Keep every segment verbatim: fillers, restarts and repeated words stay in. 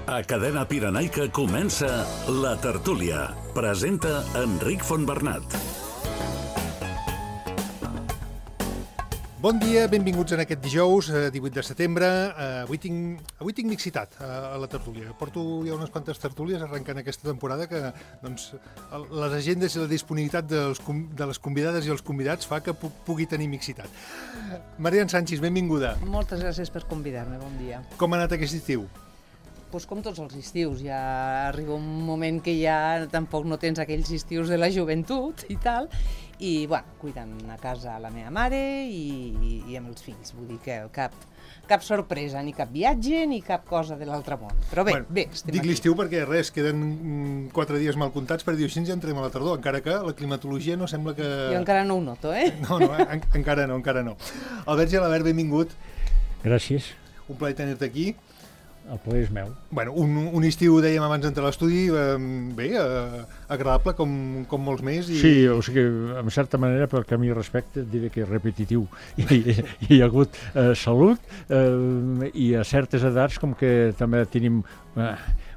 A Cadena Pirenaica comença La Tertúlia. Presenta Enric Fontbernat. Bon dia, benvinguts en aquest dijous, divuit de setembre. Avui tinc, avui tinc mixitat a la tertúlia. Porto ja unes quantes tertúlies arrencant aquesta temporada que doncs, les agendes i la disponibilitat dels, de les convidades i els convidats fa que pugui tenir mixitat. Marian Sánchez, benvinguda. Moltes gràcies per convidar-me, bon dia. Com ha anat aquest estiu? Pues com tots els estius, ja arriba un moment que ja tampoc no tens aquells estius de la joventut i tal, i bueno, cuidant a casa la meva mare i, i amb els fills, vull dir que cap, cap sorpresa, ni cap viatge, ni cap cosa de l'altre món. Però bé, bueno, bé, estem dic aquí. L'estiu perquè res, queden quatre dies mal comptats per dir així ja entrem a la tardor, encara que la climatologia no sembla que... Jo encara no ho noto, eh? No, no, en, encara no, encara no. Albert Gelabert, benvingut. Gràcies. Un plaer tenir-te aquí. El plaer és meu. Bueno, un, un estiu, dèiem abans d'entrar a l'estudi, eh, bé, eh, agradable com, com molts més. I... Sí, o sigui, en certa manera, pel que a mi respecte, diré que és repetitiu. I, i hi ha hagut eh, salut eh, i a certes edats com que també tenim eh,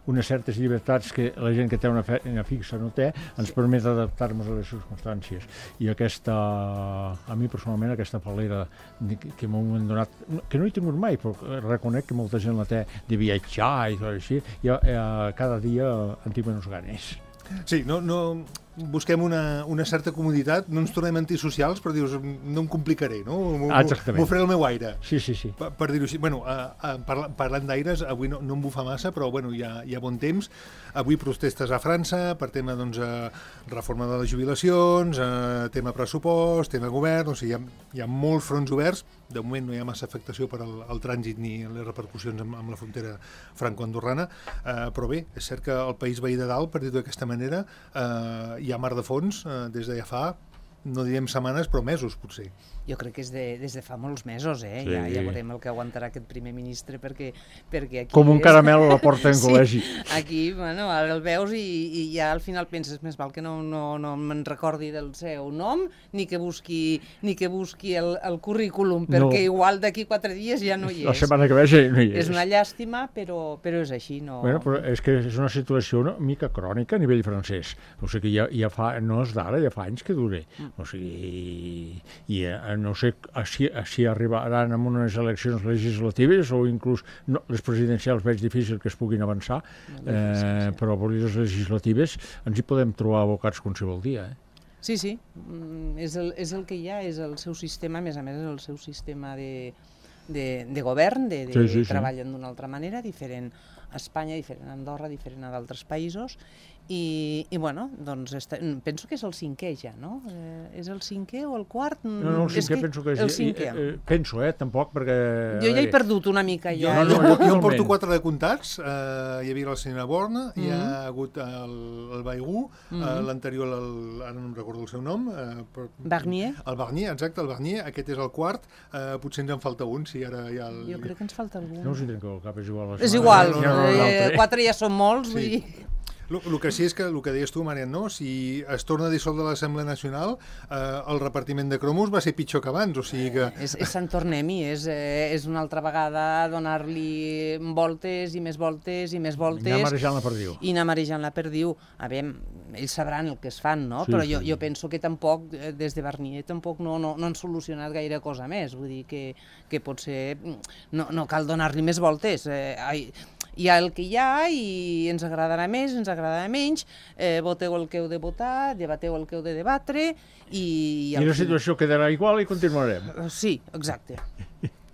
unes certes llibertats que la gent que té una feina fixa no té, ens permet adaptar-nos a les circumstàncies. I aquesta, a mi personalment, aquesta falera que m'ho han donat, que no he tingut mai, però reconec que molta gent la té de viatjar i tot així, i eh, cada dia en tinc menys ganes. Sí, no, no, busquem una, una certa comoditat, no ens tornem antisocials, però dius, no em complicaré, no? M'ho faré el meu aire. Sí, sí, sí. Per, per dir-ho així. Bueno, uh, uh, parla, parlant d'aires, avui no, no em bufa massa, però bueno, hi ha, hi ha bon temps. Avui protestes a França per tema doncs, uh, reforma de les jubilacions, uh, tema pressupost, tema govern, o sigui, hi ha, hi ha molts fronts oberts. De moment no hi ha massa afectació per al, al trànsit ni les repercussions amb, amb la frontera franco-andorrana, uh, però bé, és cert que el país veí de dalt, per dir-ho d'aquesta manera, uh, hi ha mar de fons uh, des de ja fa, no direm setmanes, però mesos, potser. Jo crec que és de, des de fa molts mesos, eh? Sí. Ja, ja veurem el que aguantarà aquest primer ministre, perquè, perquè aquí... Com un és... caramel a la porta en sí, col·legi. Aquí, bueno, ara el veus i, i ja al final penses, més val que no, no, no me'n recordi del seu nom, ni que busqui, ni que busqui el, el currículum, perquè no. Igual d'aquí quatre dies ja no hi és. La setmana que ve ja no hi és. És una llàstima, però, però és així. No... Bueno, però és que és una situació una mica crònica a nivell francès. O sigui, ja, ja fa, no és d'ara, ja fa anys que dure. Mm. O sigui, i eh, no sé si, si arribaran amb unes eleccions legislatives o inclús no, les presidencials veig difícil que es puguin avançar, no, eh, però per les legislatives ens hi podem trobar abocats qualsevol dia. Eh? Sí, sí, mm, és, el, és el que hi ha, és el seu sistema, a més a més és el seu sistema de, de, de govern, de, de sí, sí, treballen sí. d'una altra manera, diferent a Espanya, diferent a Andorra, diferent a d'altres països, i, i bueno, doncs esta, penso que és el cinquè ja, no? Eh, és el cinquè o el quart? No, no, el cinquè que penso que és... El cinquè. Eh, eh, penso, eh, tampoc, perquè... Jo ja he perdut una mica, ja. Jo, no, ja. no, jo, jo en porto quatre de comptats, eh, hi havia la senyora Borna, mm -hmm. hi ha hagut el, el Baigú, mm -hmm. eh, l'anterior, el, ara no em recordo el seu nom... Eh, però, Barnier. El Barnier, exacte, el Barnier, aquest és el quart, eh, potser ens en falta un, si ara hi ha el... Jo crec que ens falta algun. No us hi tenc al cap, és igual. És igual, no, no, no, eh, quatre ja són molts, sí. Vull dir... El que sí és que, el que deies tu, Marian, no? Si es torna a dissoldre l'Assemblea Nacional, eh, el repartiment de cromos va ser pitjor que abans, o sigui que... És, és Sant Tornem-hi, és, eh, és una altra vegada donar-li voltes i més voltes i més voltes... I anar marejant la perdiu. I anar marejant la perdiu. A veure, ells sabran el que es fan, no? Sí, Però sí. jo, jo penso que tampoc, des de Barnier, tampoc no, no, no han solucionat gaire cosa més. Vull dir que, que potser no, no cal donar-li més voltes. Eh, ai, hi ha el que hi ha i ens agradarà més, ens agradarà menys, eh, voteu el que heu de votar, debateu el que heu de debatre i... I la situació quedarà igual i continuarem. Sí, exacte.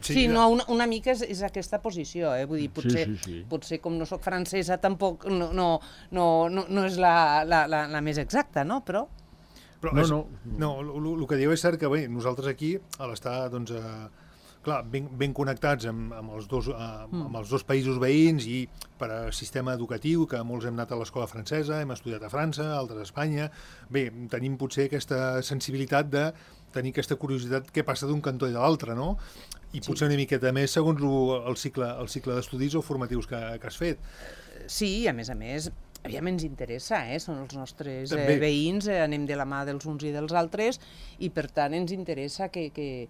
Sí, sí, no, una, una mica és, és aquesta posició, eh? Vull dir, potser, sí, sí, sí. potser com no sóc francesa tampoc no, no, no, no, no és la, la, la, la més exacta, no? Però... Però no, és, no. No, el que diu és cert que bé, nosaltres aquí, a l'estar, doncs... Eh, clar, ben, ben connectats amb, amb, els dos, amb, amb els dos països veïns i per a sistema educatiu, que molts hem anat a l'escola francesa, hem estudiat a França, altres a Espanya. Bé, tenim potser aquesta sensibilitat de tenir aquesta curiositat què passa d'un cantó i de l'altre, no? I Sí. potser una miqueta més segons el cicle, el cicle d'estudis o formatius que, que has fet. Sí, a més a més, aviam, ens interessa, eh? Són els nostres eh, També. veïns, eh, anem de la mà dels uns i dels altres, i per tant ens interessa que, que,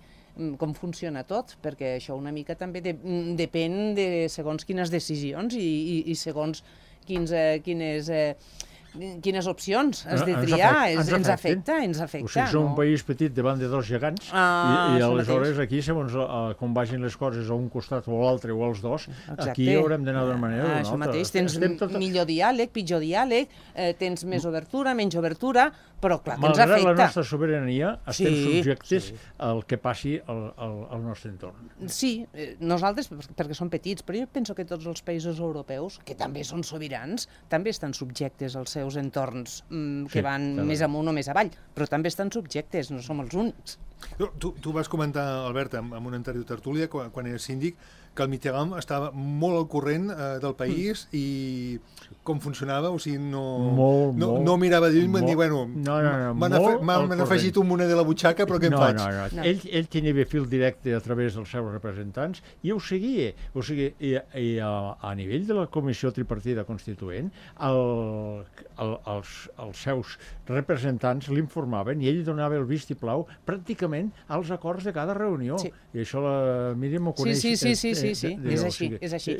com funciona tot, perquè això una mica també de, depèn de segons quines decisions i, i, i segons quins, eh, quines... Eh, quines opcions has de triar, ens, ens afecta, ens afecta. O sigui, som no? un país petit davant de dos gegants ah, i, i aleshores aquí, segons uh, com vagin les coses a un costat o a l'altre o als dos, exacte. Aquí haurem d'anar d'una manera o d'una altra. Això mateix, tens tot... millor diàleg, pitjor diàleg, eh, tens més obertura, menys obertura, però clar que ens afecta. Malgrat la nostra sobirania, estem sí, subjectes sí. al que passi al, al, al nostre entorn. Sí, eh, nosaltres, perquè som petits, però jo penso que tots els països europeus, que també són sobirans, també estan subjectes als seus entorns mm, que sí, van també. Més amunt o més avall, però també estan subjectes, no som els únics. Tu, tu vas comentar, Albert, en, en una anterior tertúlia, quan, quan eres síndic, que el Mitterrand estava molt al corrent eh, del país mm. i com funcionava, o sigui, no, molt, no, molt, no mirava de lluny, m'han dit, bueno, no, no, no, m'han afegit un moner de la butxaca, però què no, em faig? No, no, no. Ell, ell tenia fil directe a través dels seus representants i ho seguia. O sigui, i, i a, a nivell de la Comissió Tripartida Constituent, el, el, els, els seus representants l'informaven i ell donava el vistiplau pràcticament als acords de cada reunió. Sí. I això la Míriam ho coneix. Sí, sí, sí, sí, sí, sí. és així, és així.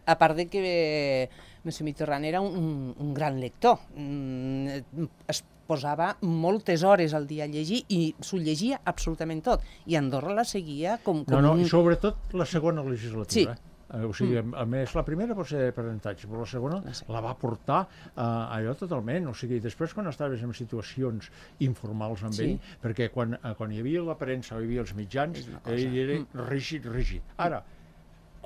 A part de que M. Mitterrand era un, un gran lector, es posava moltes hores al dia a llegir i s'ho llegia absolutament tot. I Andorra la seguia com... com no, no, un... i sobretot la segona legislatura. Sí. Eh, o sigui, mm. a més, la primera pot ser d'aprenentatge, però la segona no sé. La va portar uh, allò totalment. O sigui, després quan estaves en situacions informals amb sí. ell, perquè quan, uh, quan hi havia la premsa o hi havia els mitjans, ell era mm. rígid, rígid. Ara,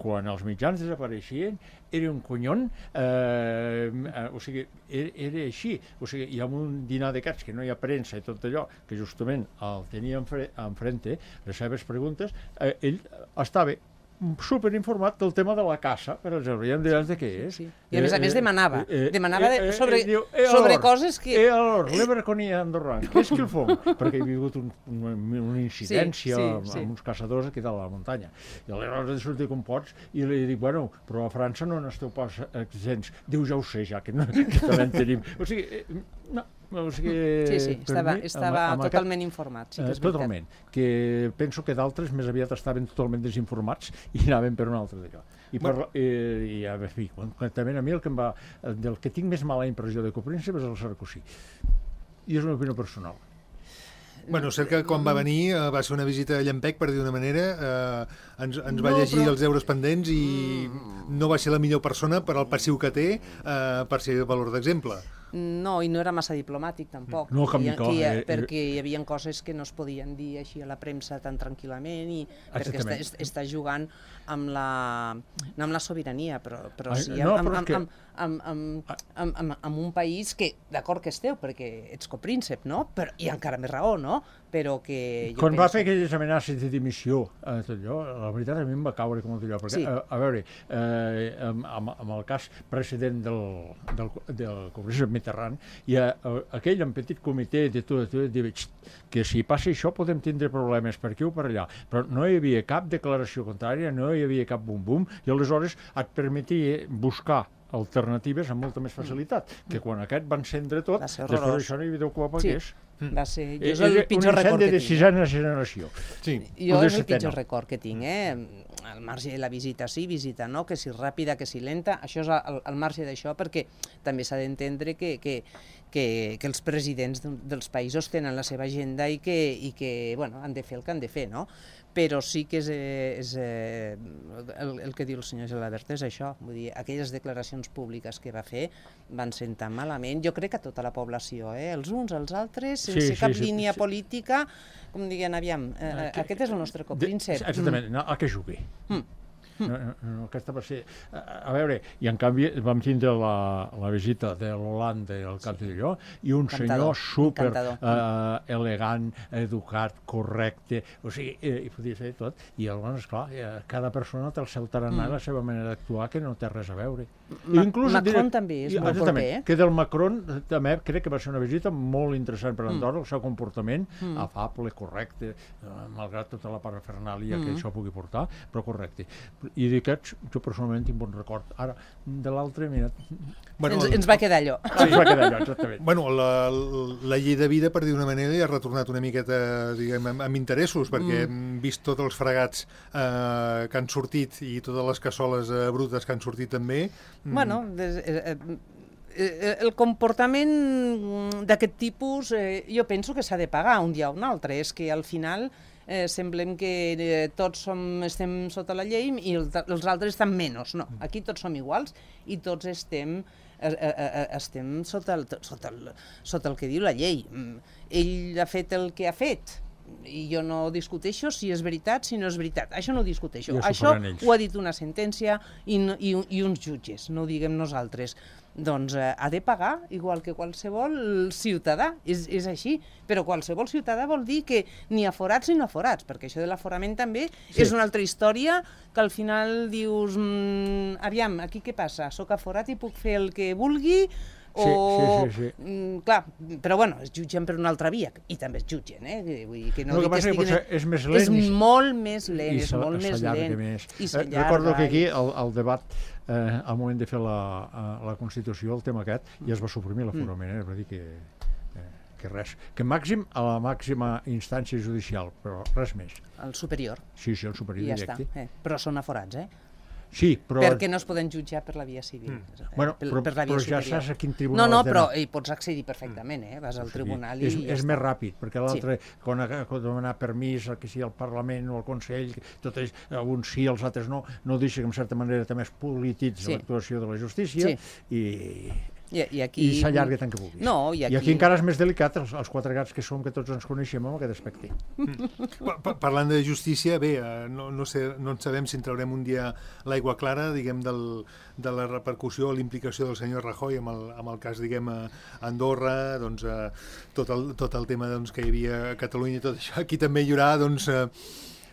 quan els mitjans desapareixien, era un conyon, eh, eh, o sigui, era, era així. O sigui, hi ha un dinar de cats que no hi ha premsa i tot allò, que justament el tenia enfrente, les seves preguntes, eh, ell estava superinformat del tema de la caça, per exemple, ja em diràs de què és. Sí, sí. I a més a més demanava, eh, eh, demanava eh, sobre, eh, eh, sobre or, coses que... Eh, alors, l'Everconia andorran, què és que el fong? Perquè hi havia hagut un, un, una incidència sí, sí, sí. amb uns caçadors aquí dalt a la muntanya. I aleshores de sortir com pots i li dic, bueno, però a França no n'esteu pas exempts. Diu, ja ho sé, ja, que, no, que també en tenim. O sigui, eh, no, o sigui... Sí, sí, estava, mi, estava amb, amb totalment aquest, informat, sí que és eh, totalment, que penso que d'altres més aviat estaven totalment desinformats i anaven per un altre d'allò. I, per, bueno. i, i a fi, concretament a mi el que em va, del que tinc més mala impressió de Copríncep és el Sarkozy. I és una opinió personal. Bueno, cert que quan va venir eh, va ser una visita a llampec, per dir d'una manera, eh, ens, ens va no, llegir però... els deures pendents i no va ser la millor persona per al passiu que té eh, per ser de valor d'exemple. No, i no era massa diplomàtic, tampoc. No, com hi, que, eh, perquè hi havia coses que no es podien dir així a la premsa tan tranquil·lament i perquè està, està jugant amb la, no amb la sobirania, però, però sí no, amb, però amb, que... amb, amb, amb, amb, amb, amb un país que, d'acord que esteu, perquè ets copríncep, no? Però, i encara més raó, no? Però que... Quan penso... va fer aquelles amenaces de dimissió, eh, tot allò, la veritat a mi em va caure com allò, perquè, sí. a, a veure, eh, amb, amb el cas precedent del, del, del copríncep Mitterrand, i a, a, aquell en petit comitè de tot, de tot, de, que si passa això podem tindre problemes per aquí o per allà, però no hi havia cap declaració contrària, no hi havia cap bum-bum, i aleshores et permetia buscar alternatives amb molta més facilitat, que quan aquest va encendre tot, després d'això no hi havia que ho apagués. Sí. Va ser, jo és el pitjor record que tinc. Un incendi de sisena generació. Sí. Jo és el pitjor record que tinc, eh? Al marge de la visita sí, visita no, que si ràpida, que si lenta, això és al, al marge d'això, perquè també s'ha d'entendre que, que, que, que els presidents dels països tenen la seva agenda i que, i que bueno, han de fer el que han de fer, no? Però sí que és, és el, el que diu el senyor Gelabert és això, vull dir, aquelles declaracions públiques que va fer van sentar malament, jo crec que a tota la població, eh? Els uns, els altres, sense sí, cap sí, línia sí, política, com diguen, aviam, eh, que, aquest és el nostre copríncep. Exactament, no, a què jugui? Mm. No, no, aquesta va ser... A, a veure, i en canvi vam tindre la, la visita de l'Holanda i el cap d'allò, i un encantador, senyor super eh, elegant, educat, correcte, o sigui, eh, hi podia ser tot, i llavors, esclar, eh, cada persona té el seu tarannà i mm. la seva manera d'actuar que no té res a veure. Ma Inclús, Macron diré, també és molt proper, eh? Que del Macron també crec que va ser una visita molt interessant per Andorra, mm. el seu comportament mm. afable, correcte, eh, malgrat tota la parafernàlia mm. que això pugui portar, però correcte. i d'aquests jo personalment tinc bon record. Ara, de l'altre, mira... Bueno, ens, ens va quedar allò. Ah, ens va quedar allò, exactament. Bueno, la, la llei de vida, per dir d'una manera, ja ha retornat una miqueta, diguem, amb, amb interessos, perquè mm. hem vist tots els fregats eh, que han sortit i totes les cassoles eh, brutes que han sortit també. Mm. Bueno, des, eh, eh, el comportament d'aquest tipus eh, jo penso que s'ha de pagar un dia o un altre. És que al final eh, semblem que eh, tots som, estem sota la llei i el, els altres estan menys. No, aquí tots som iguals i tots estem... estem sota el, sota, el, sota el que diu la llei. Ell ha fet el que ha fet i jo no discuteixo si és veritat, si no és veritat. Això no ho discuteixo. Ja això ho ha dit una sentència i, i, i uns jutges, no ho diguem nosaltres. Doncs eh, ha de pagar igual que qualsevol ciutadà, és, és així, però qualsevol ciutadà vol dir que ni aforats ni no aforats, perquè això de l'aforament també sí. És una altra història que al final dius, mmm, aviam, aquí què passa? Soc aforat i puc fer el que vulgui? O, sí, sí, sí, sí. Mm, clar, però bueno, es jutgen per una altra via, i també es jutgen, eh? Vull dir que no, no que passa que potser és més lent. És i, molt més lent, és molt més lent. Més. I s'allarga. Recordo que aquí el, el debat, eh, al moment de fer la, la Constitució, el tema aquest, ja es va suprimir l'aforament, eh? Va dir que, eh, que res. Que màxim a la màxima instància judicial, però res més. El superior. Sí, sí, el superior ja directe. Està, eh? Però són aforats, eh? Sí, però... Perquè no es poden jutjar per la via civil. Mm. Eh, bueno, però, per la via però ja superior. saps a quin tribunal no, no, has però d'anar. hi pots accedir perfectament, eh? Vas al tribunal sí, i és, ja és està. més ràpid, perquè l'altre, sí. quan ha de demanar permís, que sigui el Parlament o el Consell, tot és, alguns sí, els altres no, no deixa que en certa manera també es polititza sí. l'actuació de la justícia sí. i... I, i, aquí... i s'allarga tant que vulguis. No, i, aquí... I aquí encara és més delicat, els, els quatre gats que som, que tots ens coneixem amb aquest aspecte. Mm. Parlant de justícia, bé, no, no, sé, no en sabem si en traurem un dia l'aigua clara, diguem, del, de la repercussió o l'implicació del senyor Rajoy amb el, amb el cas, diguem, a Andorra, doncs, eh, tot, el, tot el tema doncs, que hi havia a Catalunya i tot això. Aquí també hi haurà, doncs... Eh,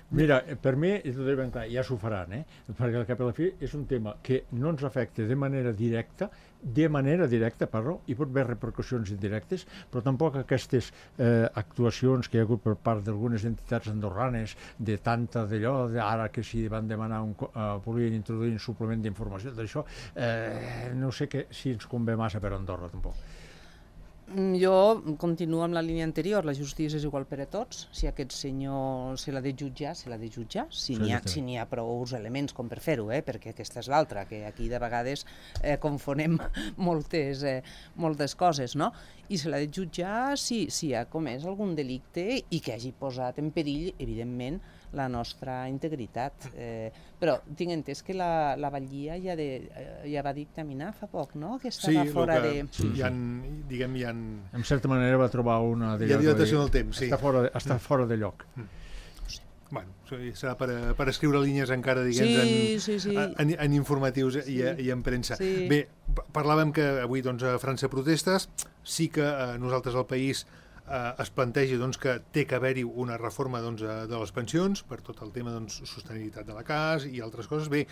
Mira, per mi, i tot ben clar, ja s'ho faran, eh? Perquè al cap i a la fi és un tema que no ens afecta de manera directa, de manera directa, perdó, hi pot haver repercussions indirectes, però tampoc aquestes eh, actuacions que hi ha hagut per part d'algunes entitats andorranes, de tanta d'allò, ara que si van demanar, un, uh, volien introduir un suplement d'informació d'això, eh, no sé que, si ens convé massa per Andorra, tampoc. Jo continuo amb la línia anterior, la justícia és igual per a tots, si aquest senyor se l'ha de jutjar, se l'ha de jutjar, si n'hi ha, si n'hi ha prou elements com per fer-ho, eh? Perquè aquesta és l'altra, que aquí de vegades eh, confonem moltes, eh, moltes coses, no? I se l'ha de jutjar si, si ha comès algun delicte i que hagi posat en perill, evidentment, la nostra integritat. Eh, però tinc entès que la, la Batllia ja, de, ja va dictaminar fa poc, no? Que estava sí, fora que, de... Sí, hi ha, diguem, hi ha... En certa manera va trobar una... Hi ha dilatació del temps, sí. Està fora, està mm. fora de lloc. Mm. Bueno, serà per, per escriure línies encara, diguem, sí, en, sí, sí. en, en informatius sí. i, i en premsa. Sí. Bé, parlàvem que avui doncs, a França protestes, sí que eh, nosaltres al país eh, es plantegi doncs, que té que haver-hi una reforma doncs, de les pensions per tot el tema doncs, sostenibilitat de la casa i altres coses. Bé,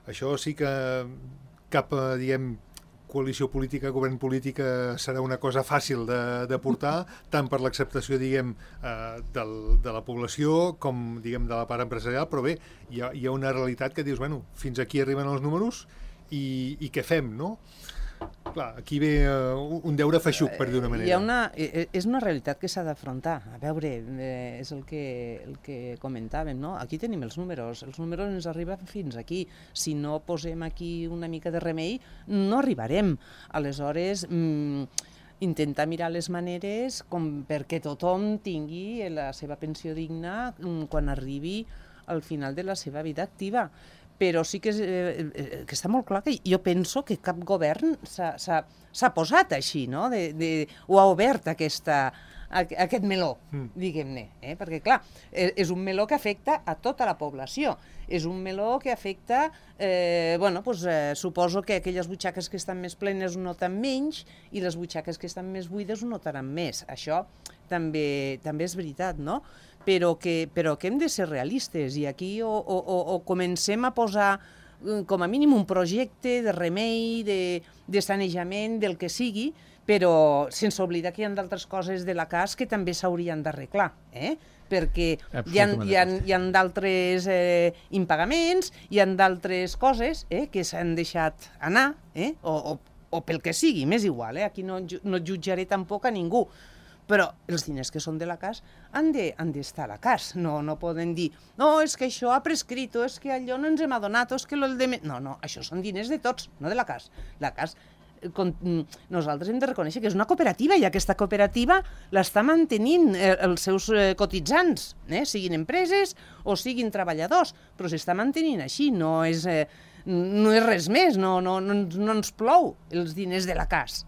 això sí que cap, diguem, coalició política, govern política serà una cosa fàcil de, de portar, tant per l'acceptació, diguem, eh, del, de la població com, diguem, de la part empresarial, però bé, hi ha, hi ha una realitat que dius, bueno, fins aquí arriben els números i, i què fem, no? Clar, aquí ve uh, un deure feixuc, per dir una manera. Hi ha una, és una realitat que s'ha d'afrontar. A veure, eh, és el que, el que comentàvem, no? Aquí tenim els números, els números ens arriben fins aquí. Si no posem aquí una mica de remei, no arribarem. Aleshores, mm, intentar mirar les maneres com perquè tothom tingui la seva pensió digna mm, quan arribi al final de la seva vida activa. Però sí que, és, eh, que està molt clar que jo penso que cap govern s'ha posat així, no? De, de, o ha obert aquesta, aquest meló, mm. diguem-ne. Eh? Perquè, clar, és un meló que afecta a tota la població. És un meló que afecta, eh, bueno, doncs, eh, suposo que aquelles butxaques que estan més plenes ho noten menys i les butxaques que estan més buides ho notaran més. Això també, també és veritat, no? Però que, però que hem de ser realistes i aquí o, o, o comencem a posar com a mínim un projecte de remei, de, de sanejament, del que sigui, però sense oblidar que hi ha d'altres coses de la cas que també s'haurien d'arreglar, eh? Perquè hi ha, hi ha, hi ha d'altres eh, impagaments, hi ha d'altres coses eh, que s'han deixat anar, eh? o, o, o pel que sigui, m'és igual, eh? Aquí no, no jutjaré tampoc a ningú, però els diners que són de la cas han d'estar a la cas, no, no poden dir no, és que això ha prescrit, o és que allò no ens hem adonat, o és que el de... No, no, això són diners de tots, no de la cas. La cas nosaltres hem de reconèixer que és una cooperativa i aquesta cooperativa l'està mantenint els seus cotitzants, eh? Siguin empreses o siguin treballadors, però s'està mantenint així, no és, eh, no és res més, no, no, no, no ens plou els diners de la cas.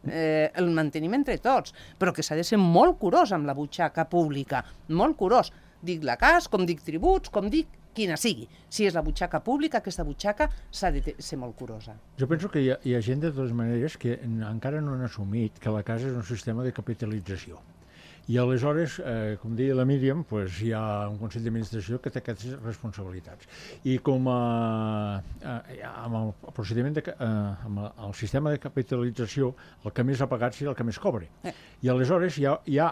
Eh, el mantenim entre tots, però que s'ha de ser molt curós amb la butxaca pública, molt curós. Dic la cas, com dic tributs, com dic quina sigui. Si és la butxaca pública, aquesta butxaca s'ha de ser molt curosa. Jo penso que hi ha, hi ha gent, de totes maneres, que encara no han assumit que la casa és un sistema de capitalització. I aleshores, eh, com deia la Míriam, pues, hi ha un Consell d'Administració que té aquestes responsabilitats. I com a, eh, amb el procediment, de, eh, amb el sistema de capitalització, el que més ha pagat serà el que més cobre. Eh. I aleshores hi ha, hi ha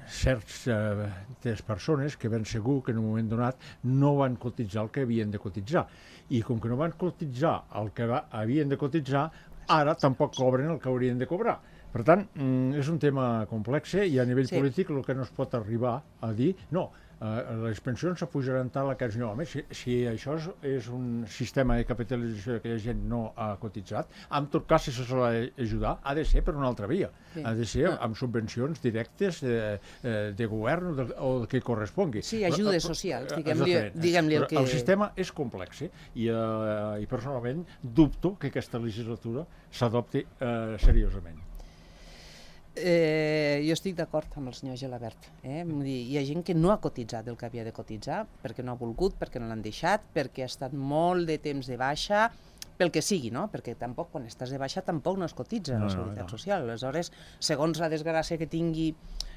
certes eh, persones que ben segur que en un moment donat no van cotitzar el que havien de cotitzar. I com que no van cotitzar el que va, havien de cotitzar, ara tampoc cobren el que haurien de cobrar. Per tant, és un tema complex i a nivell sí. polític el que no es pot arribar a dir, no, eh, les pensions s'apujaran tal a cas no. Home, si, si això és, és un sistema de capitalització que la gent no ha cotitzat, en tot cas, si se sol ajudar, ha de ser per una altra via. Sí. Ha de ser amb subvencions directes eh, de govern o de, o de que correspongui. Sí, ajudes però, socials, diguem-li diguem el que... El sistema és complex eh? I, eh, i personalment dubto que aquesta legislatura s'adopti eh, seriosament. Eh, jo estic d'acord amb el senyor Gelabert. Eh? Hi ha gent que no ha cotitzat el que havia de cotitzar, perquè no ha volgut, perquè no l'han deixat, perquè ha estat molt de temps de baixa, pel que sigui, no? Perquè tampoc, quan estàs de baixa, tampoc no es cotitza no, la Seguretat no, no. Social. Aleshores, segons la desgràcia que tingui,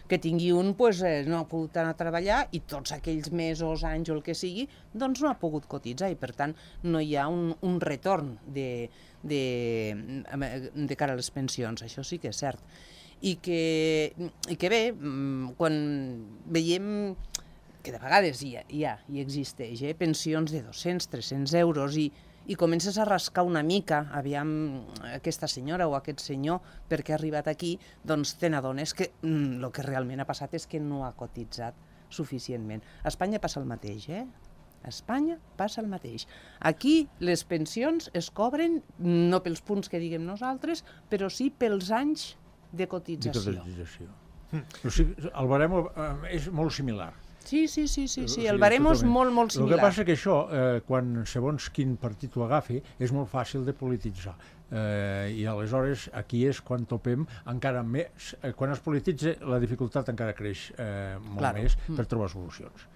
que tingui un, pues, eh, no ha pogut anar a treballar i tots aquells mesos, anys o el que sigui, doncs no ha pogut cotitzar i, per tant, no hi ha un, un retorn de, de, de cara a les pensions. Això sí que és cert. I que, i que bé, quan veiem que de vegades hi ha, hi ha i existeix eh, pensions de dos-cents, tres-cents euros i, i comences a rascar una mica, aviam aquesta senyora o aquest senyor perquè ha arribat aquí, doncs te n'adones que el mm, que realment ha passat és que no ha cotitzat suficientment. A Espanya passa el mateix, eh? A Espanya passa el mateix. Aquí les pensions es cobren no pels punts que diguem nosaltres, però sí pels anys de cotització. De cotització. Mm. O sigui, el baremo eh, és molt similar. Sí, sí, sí, sí, sí. el baremo és molt, molt similar. El que passa que això, eh, quan segons quin partit ho agafi, és molt fàcil de polititzar. Eh, I aleshores aquí és quan topem encara més, eh, quan es polititza la dificultat encara creix eh, molt claro. més per mm. trobar solucions.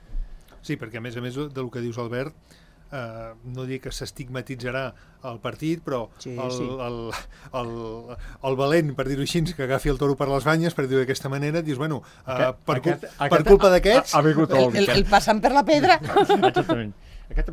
Sí, perquè a més a més del que dius, Albert, Uh, no dic que s'estigmatitzarà el partit, però sí, el, sí. El, el, el valent, per dir-ho així, que agafi el toro per les banyes, per dir-ho d'aquesta manera, dius, bueno, uh, aquest, per, aquest, per aquest, culpa d'aquests... El, el, el passant per la pedra. Exactament. Aquest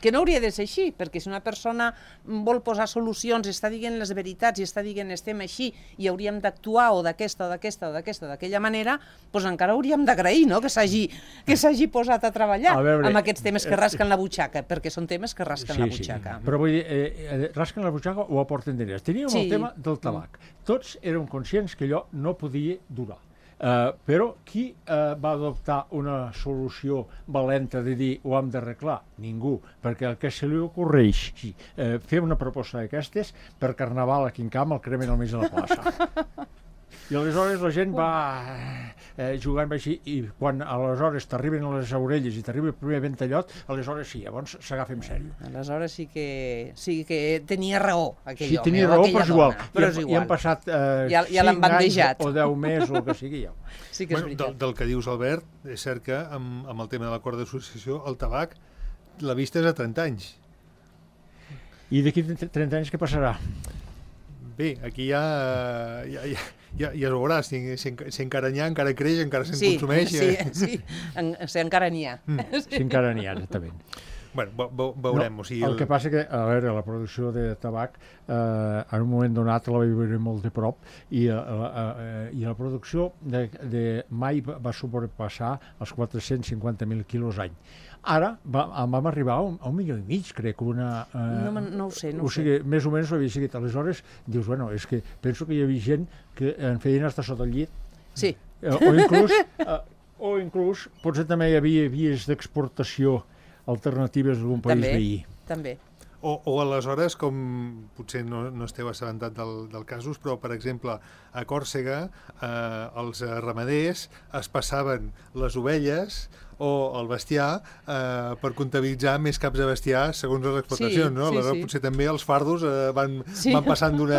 que no hauria de ser així, perquè si una persona vol posar solucions, està dient les veritats i està dient estem així i hauríem d'actuar o d'aquesta o d'aquesta o d'aquesta o d'aquella manera, doncs encara hauríem d'agrair, no?, que s'hagi que s'hagi posat a treballar a veure, amb aquests temes que rasquen la butxaca, perquè són temes que rasquen sí, la butxaca. Sí. Però vull dir, eh, rasquen la butxaca o aporten diners. Teníem sí. el tema del tabac. Tots érem conscients que allò no podia durar. Uh, però qui uh, va adoptar una solució valenta de dir ho hem d'arreglar? Ningú, perquè el que se li ocorreix sí, uh, fer una proposta d'aquestes per Carnaval a Quincamp el cremen al mig de la plaça. I aleshores la gent va eh, jugant així i quan aleshores t'arriben a les orelles i t'arriba el primer ventallot, aleshores sí, llavors s'agafa en sèrio. Aleshores sí que, sí que tenia raó aquell sí, home. Sí, tenia raó, però és igual. Però és igual. I han passat eh, ja, ja cinc anys o deu mesos o el que sigui. Ja. Sí que és bueno, del, del que dius, Albert, és cert que amb, amb el tema de l'acord d'associació, el tabac, la vista és a trenta anys. I d'aquí trenta anys què passarà? Bé, aquí ja, ja, ja, ja, ja es veurà, si, si, si encara n'hi ha, encara creix, encara se'n sí, consumeix. Sí, sí, en, si encara n'hi ha. Mm. Si encara n'hi ha, exactament. Bueno, veurem. No, o sigui, el... el que passa que, a veure, la producció de tabac eh, en un moment donat la vaig veure molt de prop i, eh, eh, i la producció de, de mai va sobrepassar els quatre-cents cinquanta mil quilos any. Ara va, vam arribar a un, a un milió i mig, crec, una... Eh, no, no ho sé, no o sigui, sé. Més o menys ho havia seguit. Aleshores, dius, bueno, és que penso que hi havia gent que en feien estar sota el llit. Sí. Eh, o inclús, eh, o inclús, potser també hi havia vies d'exportació alternatives d'algun país també, veí. També. O, o aleshores, com potser no, no esteu assabentat del, del casos, però, per exemple, a Còrsega eh, els ramaders es passaven les ovelles o el bestiar eh, per comptabilitzar més caps de bestiar segons les explotacions, sí, no? Sí, Aleshores, sí. potser també els fardos eh, van, sí. van passant d'una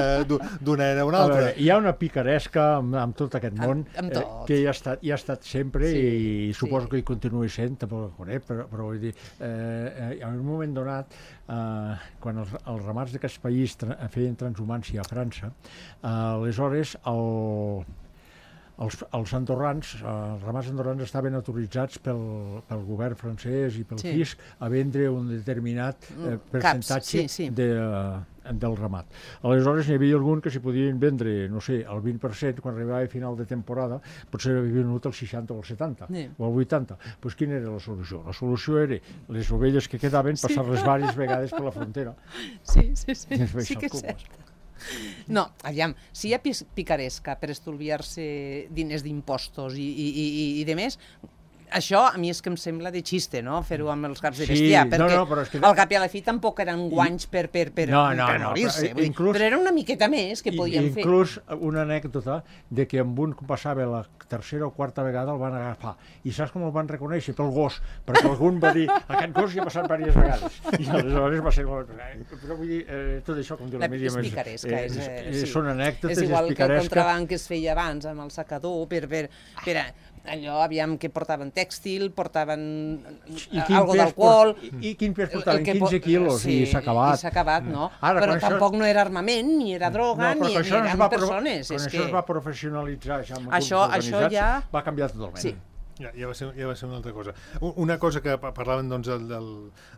era a una altra. A veure, hi ha una picaresca amb, amb tot aquest món amb, amb tot. eh, que hi ha estat, hi ha estat sempre sí, i, i suposo sí. que hi continuï sent, tampoc el conec, però, però vull dir, eh, en un moment donat, eh, quan els, els ramats d'aquest país tra feien transhumància a França, eh, aleshores el... Els, els andorrans, els ramats andorrans estaven autoritzats pel, pel govern francès i pel sí. fisc a vendre un determinat eh, percentatge sí, sí. De, uh, del ramat. Aleshores n'hi havia algun que s'hi podien vendre, no sé, el vint per cent, quan arribava a final de temporada, potser havia venut el seixanta o el setanta, sí. o el vuitanta. Doncs pues quina era la solució? La solució era les ovelles que quedaven passar-les sí. diverses vegades per la frontera. Sí, sí, sí, sí que és cert. No, aviam, si hi ha picaresca per estolviar-se diners d'impostos i, i, i, i de més, això a mi és que em sembla de xiste, no?, fer-ho amb els caps de bestiar, sí, perquè no, no, però és que... al cap i a la fi tampoc eren guanys per, per, per, no, no, per no, morir-se, però, inclús, però era una miqueta més que podien inclús fer. Inclús una anècdota de que amb un passava la tercera o quarta vegada el van agafar, i saps com el van reconèixer? Pel gos, perquè algun va dir, aquest gos ja ha passat diverses vegades, i aleshores va ser... Però vull dir, eh, tot això, com diu la, la Míriam, és picaresca, és, eh, és, sí. són anècdotes, és igual és que el contraban que es feia abans amb el sacador, per, per, per allò, aviam, que portaven tèxtil, portaven algo d'alcohol... I, I quin pes portaven? quinze quilos, sí, i s'ha acabat. I s'ha acabat, no? Ara, però tampoc això... no era armament, ni era droga, no, ni, ni eren persones. Quan és això que... es va professionalitzar ja amb això, això ja... va canviar totalment. Sí. Ja, ja, va ser, ja va ser una altra cosa. Una cosa que parlaven doncs, del, del,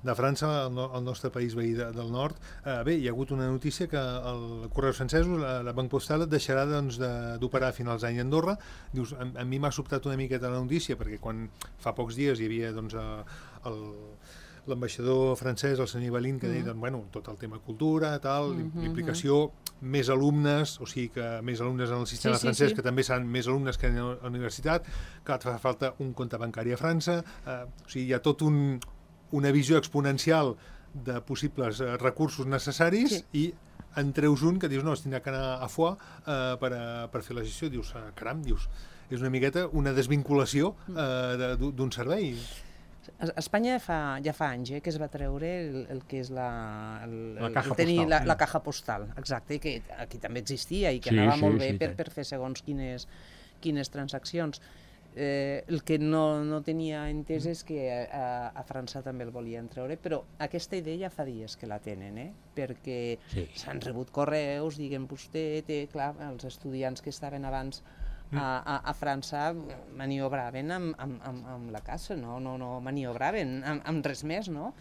de França, el, el nostre país veí de, del nord, eh, bé, hi ha hagut una notícia que el Correus Francesos, la, la Banc Postal, deixarà doncs, d'operar a finals d'any a Andorra. Dius, a, a mi m'ha sobtat una miqueta la notícia, perquè quan fa pocs dies hi havia doncs, el... l'ambaixador francès, el senyor Ivalín, que deia, mm. bueno, tot el tema cultura, tal, mm -hmm. implicació, més alumnes, o sigui que més alumnes en el sistema sí, francès, sí, sí. que també seran més alumnes que en la universitat, que fa falta un compte bancari a França, eh, o sigui, hi ha tot un, una visió exponencial de possibles eh, recursos necessaris sí. i en treus un que dius, no, es tindrà que anar a Foix eh, per, a, per fer la gestió, dius, eh, caram, dius, és una miqueta una desvinculació eh, d'un servei. A Espanya fa, ja fa anys eh, que es va treure el, el que és la, el, la, caja el tenir postal, la, sí. la caja postal, exacte, que aquí també existia i que sí, anava sí, molt bé sí, per, sí. per fer segons quines, quines transaccions. Eh, el que no, no tenia entès és que a, a França també el volien treure, però aquesta idea ja fa dies que la tenen, eh? Perquè s'han sí. rebut correus, diguem vostè, té, clar, els estudiants que estaven abans A, a, a França maniobraven amb, amb, amb, amb la caça, no, no, no maniobraven amb, amb res més, no?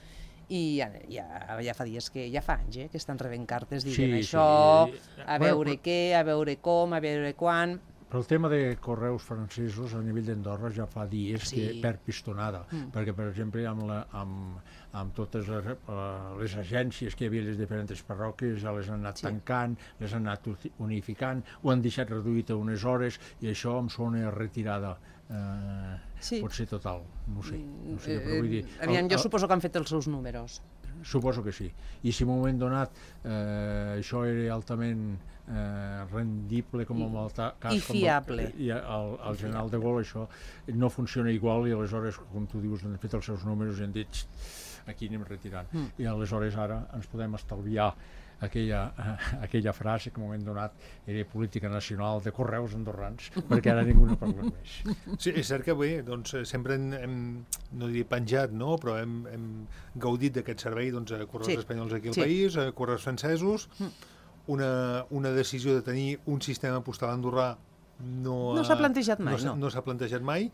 I ja, ja, ja fa dies que, ja fa anys, eh, que estan rebent cartes dient sí, això, sí. a veure bueno, què, a veure com, a veure quan... Però el tema de correus francesos a nivell d'Andorra ja fa dies sí. que per pistonada, mm. perquè, per exemple, amb, la, amb, amb totes les, uh, les agències que hi havia a les diferents parròquies ja les han anat sí. tancant, les han anat unificant, ho han deixat reduït a unes hores i això em sona retirada. Uh, sí. Pot ser total, no ho sé. No sé però vull dir, Aviam, jo el, suposo que han fet els seus números. Suposo que sí. I si en un moment donat eh, això era altament eh, rendible com en el cas... I fiable. Com el, i el, el general de Gaulle això no funciona igual i aleshores, com tu dius, han fet els seus números i han dit aquí anem retirant. Mm. I aleshores ara ens podem estalviar aquella, uh, aquella frase que en un moment donat era política nacional de correus andorrans, perquè ara ningú no parla més. Sí, és cert que bé, doncs, sempre hem, hem no diria penjat, no? Però hem, hem gaudit d'aquest servei doncs, a correus sí. espanyols aquí al sí. país, a correus francesos, una, una decisió de tenir un sistema postal andorrà no, no s'ha plantejat mai, no. no. No s'ha plantejat mai.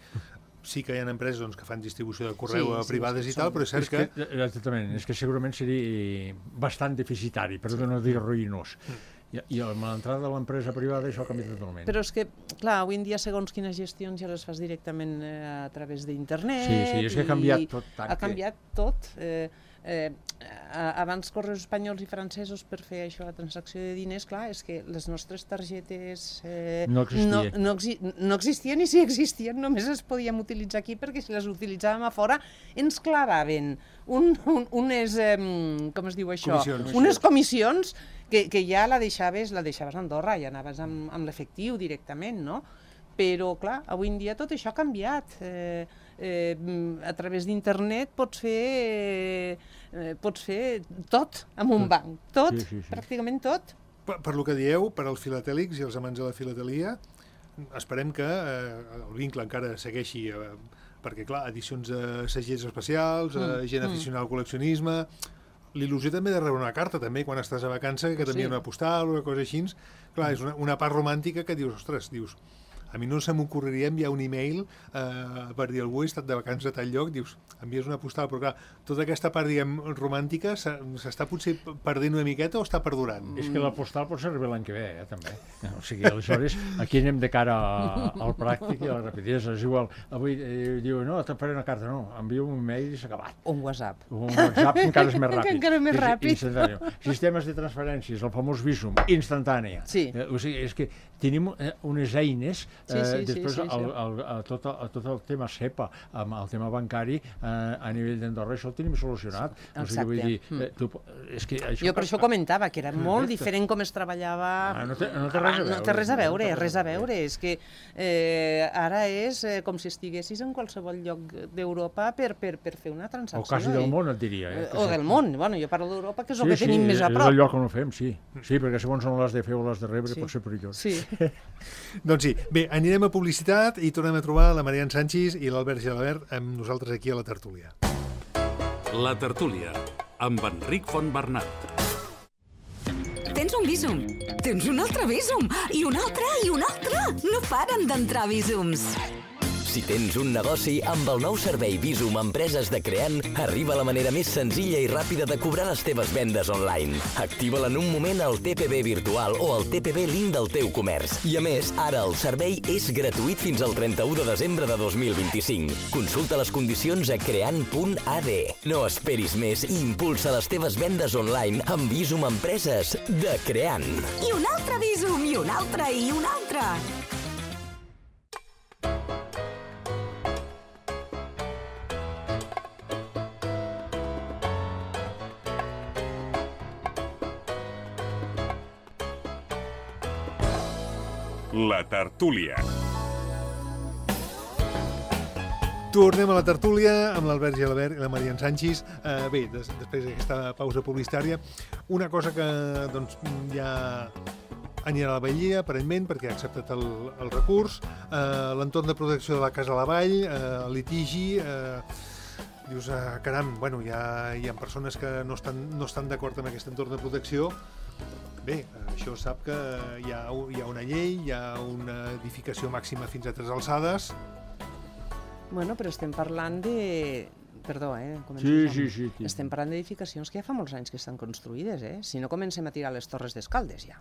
sí que hi ha empreses doncs, que fan distribució de correu Sí, a sí, privades sí, i tal, són- però és cert És que, que... eh, exactament, és que segurament seria bastant deficitari, per no dir ruïnós. I, i amb l'entrada de l'empresa privada això canvia totalment. Però és que, clar, avui en dia segons quines gestions ja les fas directament eh, a través d'internet. Sí, sí, és que ha canviat tot tant Ha que- canviat tot. Eh, eh, a- abans correus espanyols i francesos per fer això, la transacció de diners, clar, és que les nostres targetes eh, No existien. no, no, exi no existien, i si existien només les podíem utilitzar aquí, perquè si les utilitzàvem a fora ens clavaven un, un, unes, eh, com es diu això? Comissions. Unes comissions que, que ja la deixaves, la deixaves a Andorra, ja anaves amb, amb l'efectiu directament, no? Però, clar, avui en dia tot això ha canviat. Eh, eh, a través d'internet pots fer, eh, pots fer tot amb un banc, tot, Sí, sí, sí. pràcticament tot. Per, per lo que dieu, per als filatèlics i els amants de la filatelia, esperem que eh, el vincle encara segueixi, eh, perquè, clar, edicions de segells especials, eh, gent aficionada al col·leccionisme, l'il·lusió també de rebre una carta, també, quan estàs a vacança, que t'envien Sí. una postal o una cosa així. Clar, és una, una part romàntica que dius, ostres, dius, a mi no se m'ocorreria enviar un email eh, per dir, algú he estat de vacances a tal lloc, dius, envies una postal, però clar, tota aquesta part, diguem, romàntica s'ha- s'està potser perdent una miqueta o està perdurant? És que la postal pot ser arribar l'any que ve, eh, també. O sigui, aleshores, aquí anem de cara a, al pràctic i a la rapidesa. És igual, avui eh, diu, no, te faré una carta, no, envio un mail i s'ha acabat. Un WhatsApp. Un WhatsApp encara és més ràpid. Encara més És ràpid. instantani. Sistemes de transferències, el famós Visum, instantània. Sí. Eh, o sigui, és que tenim eh, unes eines, Sí, eh, sí, sí, després sí, sí. el, el, a tot, a tot el tema SEPA, amb el tema bancari, eh, a nivell d'Andorra, això el tenim solucionat. O sigui, vull dir, eh, tu, és que això, Jo per això comentava que era molt Exacte. diferent com es treballava... Ah, no té- no té res a No veure. té res a veure, No té res a veure. És que eh, ara és eh, com si estiguessis en qualsevol lloc d'Europa per, per, per fer una transacció. o quasi del eh? món, et diria. Eh, Eh, que O sí. del món. Bueno, jo parlo d'Europa, que és el Sí, que tenim sí, més a és prop. el lloc on ho fem, sí. Sí, perquè segons on l'has de fer o l'has de rebre Sí. pot ser perillós. Sí. Doncs sí, bé, anirem a publicitat i tornem a trobar la Marian Sanchis i l'Albert Gelabert amb nosaltres aquí a la tertúlia. La tertúlia, amb Enric Fontbernat. Tens un Visum, tens un altre Visum, i un altre, i un altre. No paren d'entrar Visums. Si tens un negoci, amb el nou servei Visum Empreses de Creant, arriba la manera més senzilla i ràpida de cobrar les teves vendes online. Activa-la en un moment al T P B virtual o al T P B link del teu comerç. I a més, ara el servei és gratuït fins al trenta-u de desembre de dos mil vint-i-cinc. Consulta les condicions a creant punt a d. No esperis més i impulsa les teves vendes online amb Visum Empreses de Creant. I un altre Visum, i un altre, i un altre. La tertúlia. Tornem a la tertúlia amb l'Albert Gelabert i la Marian Sanchis. Eh, bé, des, després d'aquesta pausa publicitària, una cosa que doncs, ja anirà a la Batllia, aparentment, perquè ha acceptat el, el recurs, eh, l'entorn de protecció de la Casa a la Vall, eh, el litigi, eh, dius, eh, caram, bueno, hi ha, hi ha persones que no estan, no estan d'acord amb aquest entorn de protecció. Bé, això sap que hi ha, hi ha una llei, hi ha una edificació màxima fins a tres alçades. Bueno, però estem parlant de... Perdó, eh? començo Sí, jo. sí, sí, sí. Estem parlant d'edificacions que ja fa molts anys que estan construïdes, eh? Si no comencem a tirar les torres d'Escaldes, ja.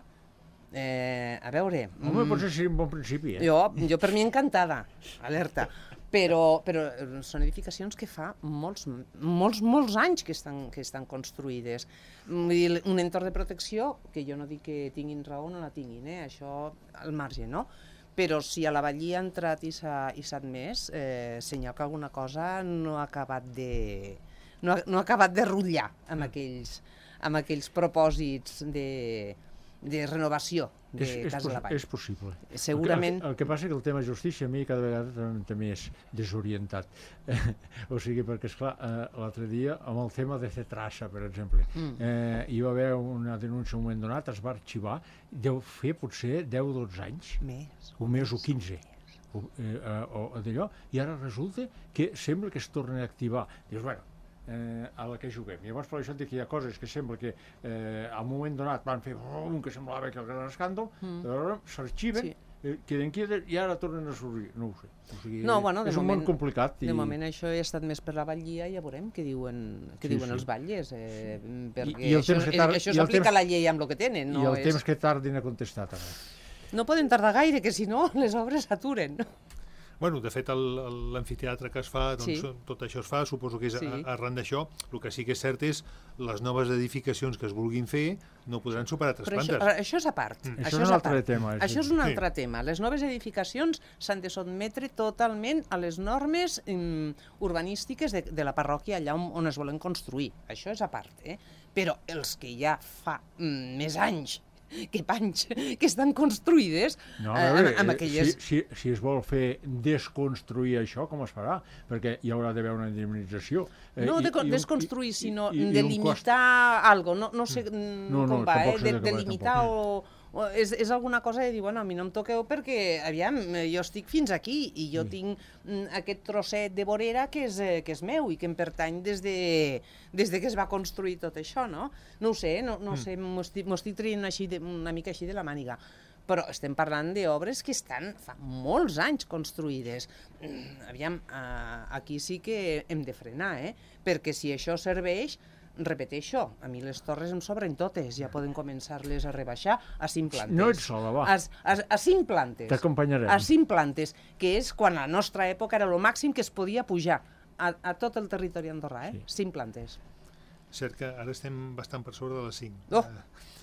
Eh, a veure... Home, potser seria un bon principi, eh? Jo, jo per mi encantada, alerta. Però, però són edificacions que fa molts, molts, molts anys que estan, que estan construïdes. Vull dir, un entorn de protecció, que jo no dic que tinguin raó o no la tinguin, eh? Això al marge, no? Però si a la Batllia ha entrat i s'ha admès, eh, senyal que alguna cosa no ha acabat de, no ha, no ha acabat de rutllar amb aquells, amb aquells propòsits de, de renovació de És, és, Casa a la Vall. és possible. Segurament... El, que- el que passa és que el tema justícia a mi cada vegada també, també és desorientat. O sigui, perquè, esclar, eh, l'altre dia, amb el tema de Cetrasa, per exemple, Mm. eh, hi va haver una denúncia en un moment donat, es va arxivar, deu fer potser deu o dotze anys, Més. un mes o quinze, o, eh, eh, o d'allò, i ara resulta que sembla que es torna a activar. Dius, bueno, eh, a la que juguem. Llavors, per això et dic que hi ha coses que sembla que eh, a un moment donat van fer oh, un que semblava que el gran escàndol, mm. però s'arxiven Sí. eh, queden quietes i ara tornen a sorgir. No ho sé. O sigui, No, bueno, de és un moment- món complicat. De moment això ha estat més per la batllia, ja veurem què diuen, què Sí, diuen sí. els batlles, eh, perquè I el això, temps que eh, tar- això i el s'aplica temps- a la llei amb el que tenen. I No, el és... temps que tardin a contestar, també. no poden tardar gaire, que si no les obres s'aturen. Bueno, de fet, el- el- l'amfiteatre que es fa, doncs, Sí. tot això es fa, suposo que és Sí. a- arran d'això. El que sí que és cert és les noves edificacions que es vulguin fer no podran superar tres Però això, plantes. això és a part. Mm. Això Això és és un a altre part. tema, sí. Això és un Sí. altre tema. Les noves edificacions s'han de sotmetre totalment a les normes mm, urbanístiques de, de la parròquia allà on, on es volen construir. Això és a part, eh? Però els que ja fa mm, més anys que panys, que estan construïdes No, eh, a veure, amb, amb eh, aquelles... si, si, si es vol fer desconstruir això, com es farà? Perquè hi haurà d'haver una indemnització. Eh, No i- de co- i un- desconstruir, i- sinó i- i de un cost. limitar algo. No, no sé mm, No, no, com va, tampoc eh? sé De, de què de va, limitar o... o és, és alguna cosa de dir, bueno, a mi no em toqueu perquè, aviam, eh, jo estic fins aquí i jo tinc mm, aquest trosset de vorera que és, eh, que és meu i que em pertany des de, des de que es va construir tot això, no? No ho sé, no, no ho sé, m'ho estic, m'ho estic traient així de, una mica així de la màniga. Però estem parlant d'obres que estan fa molts anys construïdes. Mm, Aviam, eh, aquí sí que hem de frenar, eh? Perquè si això serveix, repeteixo, a mi les torres em sobren totes, ja poden començar-les a rebaixar a cinc plantes. No ets sola, va. A, a, a cinc plantes. T'acompanyarem. A cinc plantes, que és quan a la nostra època era el màxim que es podia pujar a, a tot el territori andorrà, eh? Sí. Cinc plantes. Cert que ara estem bastant per sobre de les cinc. Oh,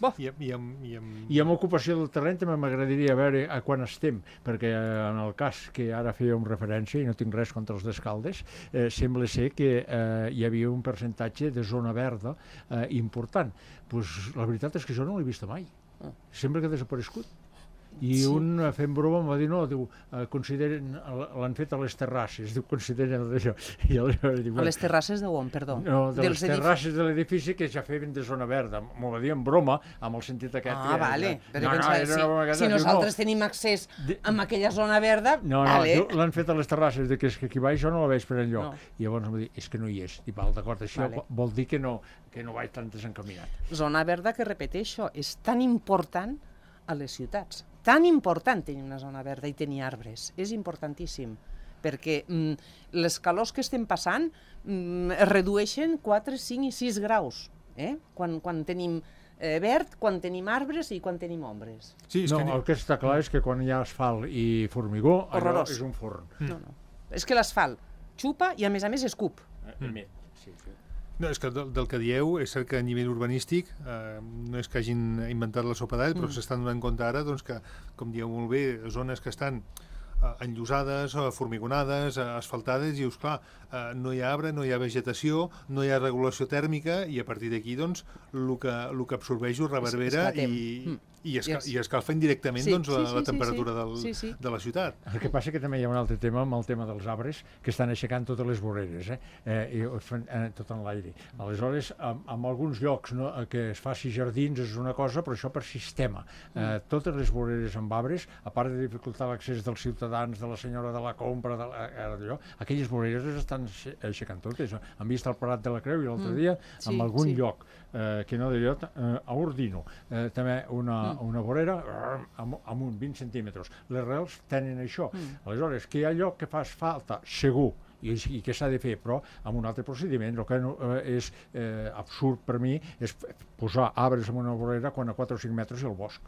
bo. I, i, amb, i, amb... I amb ocupació del terreny també m'agradaria veure a quan estem, perquè eh, en el cas que ara fèiem referència, i no tinc res contra els d'Escaldes, eh, sembla ser que eh, hi havia un percentatge de zona verda eh, important. Pues, la veritat és que jo no l'he vist mai. Ah. Sembla que ha desaparegut. I Sí. un, eh, fent broma, em va dir, no, diu, eh, consideren, l'han fet a les terrasses, diu, consideren d'això. I aleshores diu, A les terrasses de on, perdó? no, de les Dels edificis. terrasses de l'edifici que ja feien de zona verda. M'ho va dir en broma, amb el sentit aquest. Ah, que- vale. que- Però no, no, pensava, era una broma si, aquesta, si diu, nosaltres no. tenim accés De- a aquella zona verda, No, no, vale. diu, l'han fet a les terrasses, de que és que aquí baix jo no la veig per enlloc. No. I llavors em va dir, és que no hi és. Dic, val, d'acord, això Vale. vol dir que no, que no vaig tan desencaminat. Zona verda que, repeteixo, és tan important a les ciutats. Tan important tenir una zona verda i tenir arbres. És importantíssim, perquè mm, les calors que estem passant mm, es redueixen quatre, cinc i sis graus, eh? quan, quan tenim eh, verd, quan tenim arbres i quan tenim ombres. Sí, és No, que... el que està clar és que quan hi ha asfalt i formigó, allò Horrorós. és un forn. No, no. És que l'asfalt xupa i, a més a més, escup. Mm. Sí, sí. No, és que del, del que dieu, és cert que a nivell urbanístic eh, no és que hagin inventat la sopa d'all, però Mm. s'estan donant compte ara doncs, que, com dieu molt bé, zones que estan eh, enllosades, eh, formigonades, eh, asfaltades, i dius, clar, eh, no hi ha arbre, no hi ha vegetació, no hi ha regulació tèrmica, i a partir d'aquí, doncs, el que, el que absorbeix ho reverbera esclatem. i, Mm. i, esca, Yes. i escalfa indirectament Sí, doncs, sí, la, sí, la sí, temperatura sí. del, Sí, sí. de la ciutat. El que passa que també hi ha un altre tema amb el tema dels arbres que estan aixecant totes les voreres, eh? Eh, i ho fan eh, tot en l'aire. Aleshores, en, en alguns llocs no, eh, que es faci jardins és una cosa, però això per sistema. Eh, totes les voreres amb arbres, a part de dificultar l'accés dels ciutadans, de la senyora de la compra, de la, eh, d'allò, aquelles voreres les estan aixe- aixecant totes. Han vist el Parat de la Creu i l'altre Mm. dia, Sí, en algun sí. lloc, eh, que no diré, eh, a Ordino, eh, també una, una vorera eh, amb, amb uns vint centímetres. Les rels tenen això. Mm. Aleshores, que hi ha lloc que fas falta, segur, i, i que s'ha de fer, però amb un altre procediment. El que no, eh, és eh, absurd per mi és f- posar arbres en una vorera quan a quatre o cinc metres hi ha el bosc.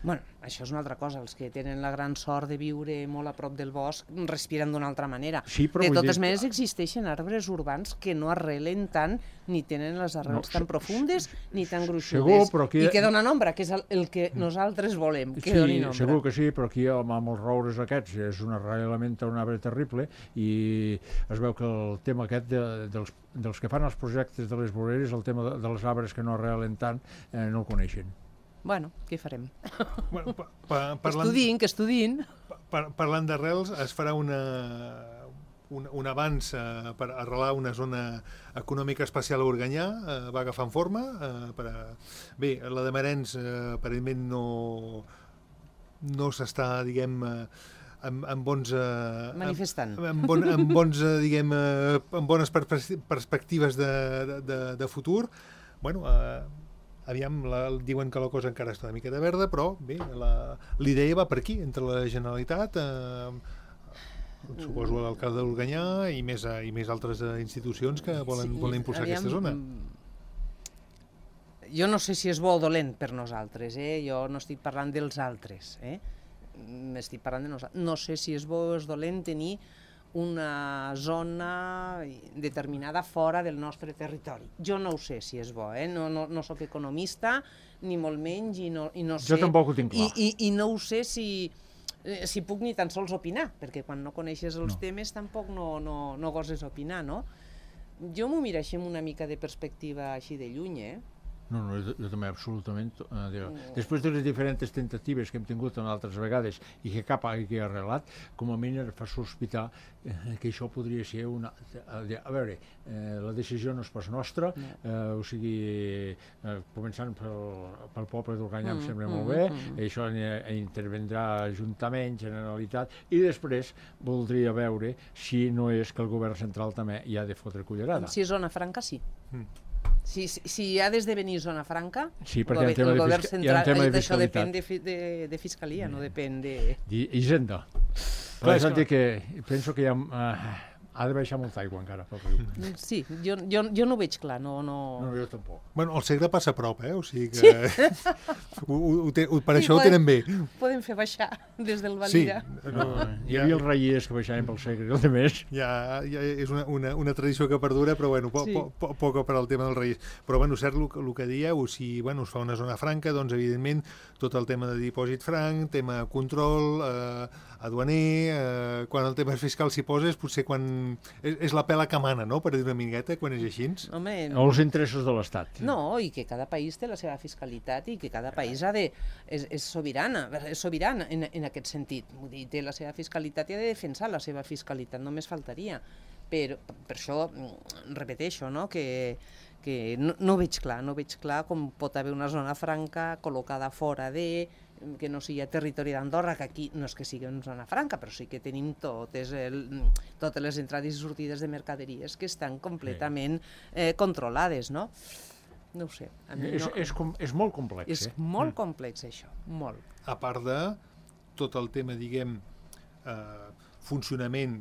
Bueno, això és una altra cosa. Els que tenen la gran sort de viure molt a prop del bosc respiren d'una altra manera. Sí, però de vull totes dir- maneres, existeixen arbres urbans que no arrelen tant, ni tenen les arrels No, tan se- profundes ni tan gruixudes. segur, però aquí- I que donen ombra, que és el, el que nosaltres volem, que Sí, donin ombra. segur que sí, però aquí amb, amb els roures aquests és un arrelament a un arbre terrible i es veu que el tema aquest de, dels, dels que fan els projectes de les voreres, el tema de, dels arbres que no arrelen tant, eh, no el coneixen. Bueno, què farem? Bueno, pa, pa, Que parlant, estudin, que estudin. par, parlant d'arrels, es farà una, un, un avanç eh, per arrelar una zona econòmica especial a Organyà, eh, va agafant forma. Eh, per a... Bé, la de Marens eh, aparentment no, no s'està, diguem, eh, amb, amb bons... Eh, Manifestant. Amb, amb, bon, amb, bons, eh, diguem, eh, amb bones perspectives de, de, de futur. Bueno, eh, aviam, la, diuen que la cosa encara està una miqueta verda, però bé, la- l'idea va per aquí, entre la Generalitat, eh, suposo l'alcalde d'Organyà i més, eh, i més altres eh, institucions que volen, volen impulsar aviam, aquesta zona. mm, Jo no sé si és bo o dolent per nosaltres, eh? Jo no estic parlant dels altres, eh? M'estic parlant de nosaltres. No sé si és bo o és dolent tenir una zona determinada fora del nostre territori. Jo no ho sé si és bo, eh? no, no, no sóc economista, ni molt menys, i no, i no sé... Jo tampoc ho tinc clar. I, i, i no ho sé si, eh, si puc ni tan sols opinar, perquè quan no coneixes els No. temes tampoc no, no, no goses opinar, no? Jo m'ho miro així amb una mica de perspectiva així de lluny, eh? No, no, jo, jo també, absolutament. Eh, diu, Mm. després de les diferents tentatives que hem tingut en altres vegades i que cap hagi arreglat, com a mínim fa sospitar eh, que això podria ser una... A, a veure, eh, la decisió no és pas nostra, eh, o sigui, eh, començant pel, pel poble d'Organyà, Mm, em sembla mm, molt bé, mm. això hi intervendrà Ajuntament, Generalitat, i després voldria veure si no és que el govern central també hi ha de fotre cullerada. Si és zona franca, sí. Mm. Si, si, si ha d'esdevenir zona franca, Sí, el perquè hi ha un gover- tema el de govern fisca- hi ha un central, tema de això fiscalitat. depèn de, fi- de, de fiscalia, no depèn de... I Hisenda. Clar, Clar, és és a que- dir que penso que hi ha, uh, ha de baixar molta aigua encara pel riu. Sí, jo, jo, jo no ho veig clar, no... no... No, jo tampoc. Bueno, el Segre passa a prop, eh? O sigui que... ho, ho, ho, te- ho, per Sí, això ho podem- tenen bé. Podem fer baixar des del Sí, Valira. no, Hi havia els reiers que baixaven pel Segre, i el de més. ja, ja és una, una, una tradició que perdura, però bueno, po, Sí. po, po, poc per al tema dels Reis. Però bueno, cert el, el que dieu, si bueno, es fa una zona franca, doncs evidentment tot el tema de dipòsit franc, tema control, eh, aduaner, eh, quan el tema fiscal s'hi posa és potser quan... És, és la pela que mana, no?, per dir una mingueta, quan és així. Home, O els interessos de l'Estat. no, i que cada país té la seva fiscalitat i que cada país ha de, és, és sobirana, és sobirana en, en aquest sentit. Vull dir, té la seva fiscalitat i ha de defensar la seva fiscalitat, només faltaria. Però per això mm, repeteixo, no?, que, que no, no veig clar, no veig clar com pot haver una zona franca col·locada fora de, que no sigui a territori d'Andorra, que aquí no és que sigui una zona franca, però sí que tenim totes, el, totes les entrades i sortides de mercaderies que estan completament eh, controlades, no? No ho sé. A mi És, no, és, com, és molt complex, és eh? molt complex, això, molt. A part de tot el tema, diguem, eh, funcionament,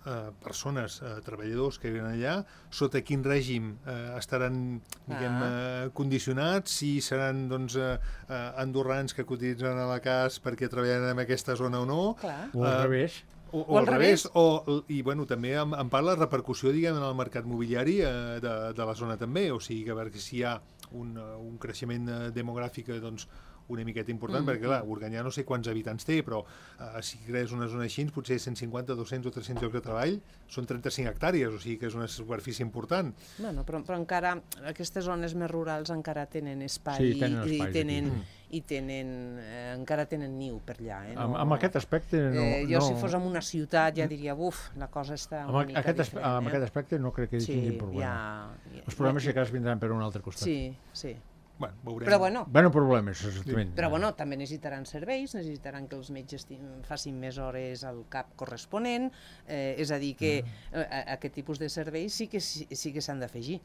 eh, persones, eh, treballadors que viuen allà, sota quin règim eh, estaran, diguem, Ah. eh, condicionats, si seran, doncs, eh, eh, andorrans que cotitzen a la C A S perquè treballen en aquesta zona o no, Clar. O al Eh, revés. o, O al revés. o, i bueno, també en, en part la repercussió, diguem, en el mercat mobiliari eh, de, de la zona també, o sigui que a veure si hi ha un, eh, un creixement eh, demogràfic, eh, doncs, una miqueta important, Mm, perquè clar, Organyà no sé quants habitants té, però eh, si crees una zona així, potser cent cinquanta, dos-cents o tres-cents llocs de treball, són trenta-cinc hectàrees, o sigui que és una superfície important. Bueno, però, però encara, aquestes zones més rurals encara tenen espai, Sí, tenen i, espais i tenen, aquí. i tenen eh, encara tenen niu per allà. Eh? Amb, amb aquest aspecte no... eh, jo no... si fos en una ciutat ja diria, buf, la cosa està Amb, una mica aquest, aspe- diferent. amb eh? aquest aspecte no crec que hi sí, tinguin problema. ja, Els problemes, si cas, vindran per un altre costat. Sí, sí. Bueno, veurem. Però bueno, Bueno, problemes, exactament. Però bueno, també necessitaran serveis, necessitaran que els metges ti- facin més hores al cap corresponent, eh, és a dir, que eh, a- aquest tipus de serveis sí que, sí, sí que s'han d'afegir.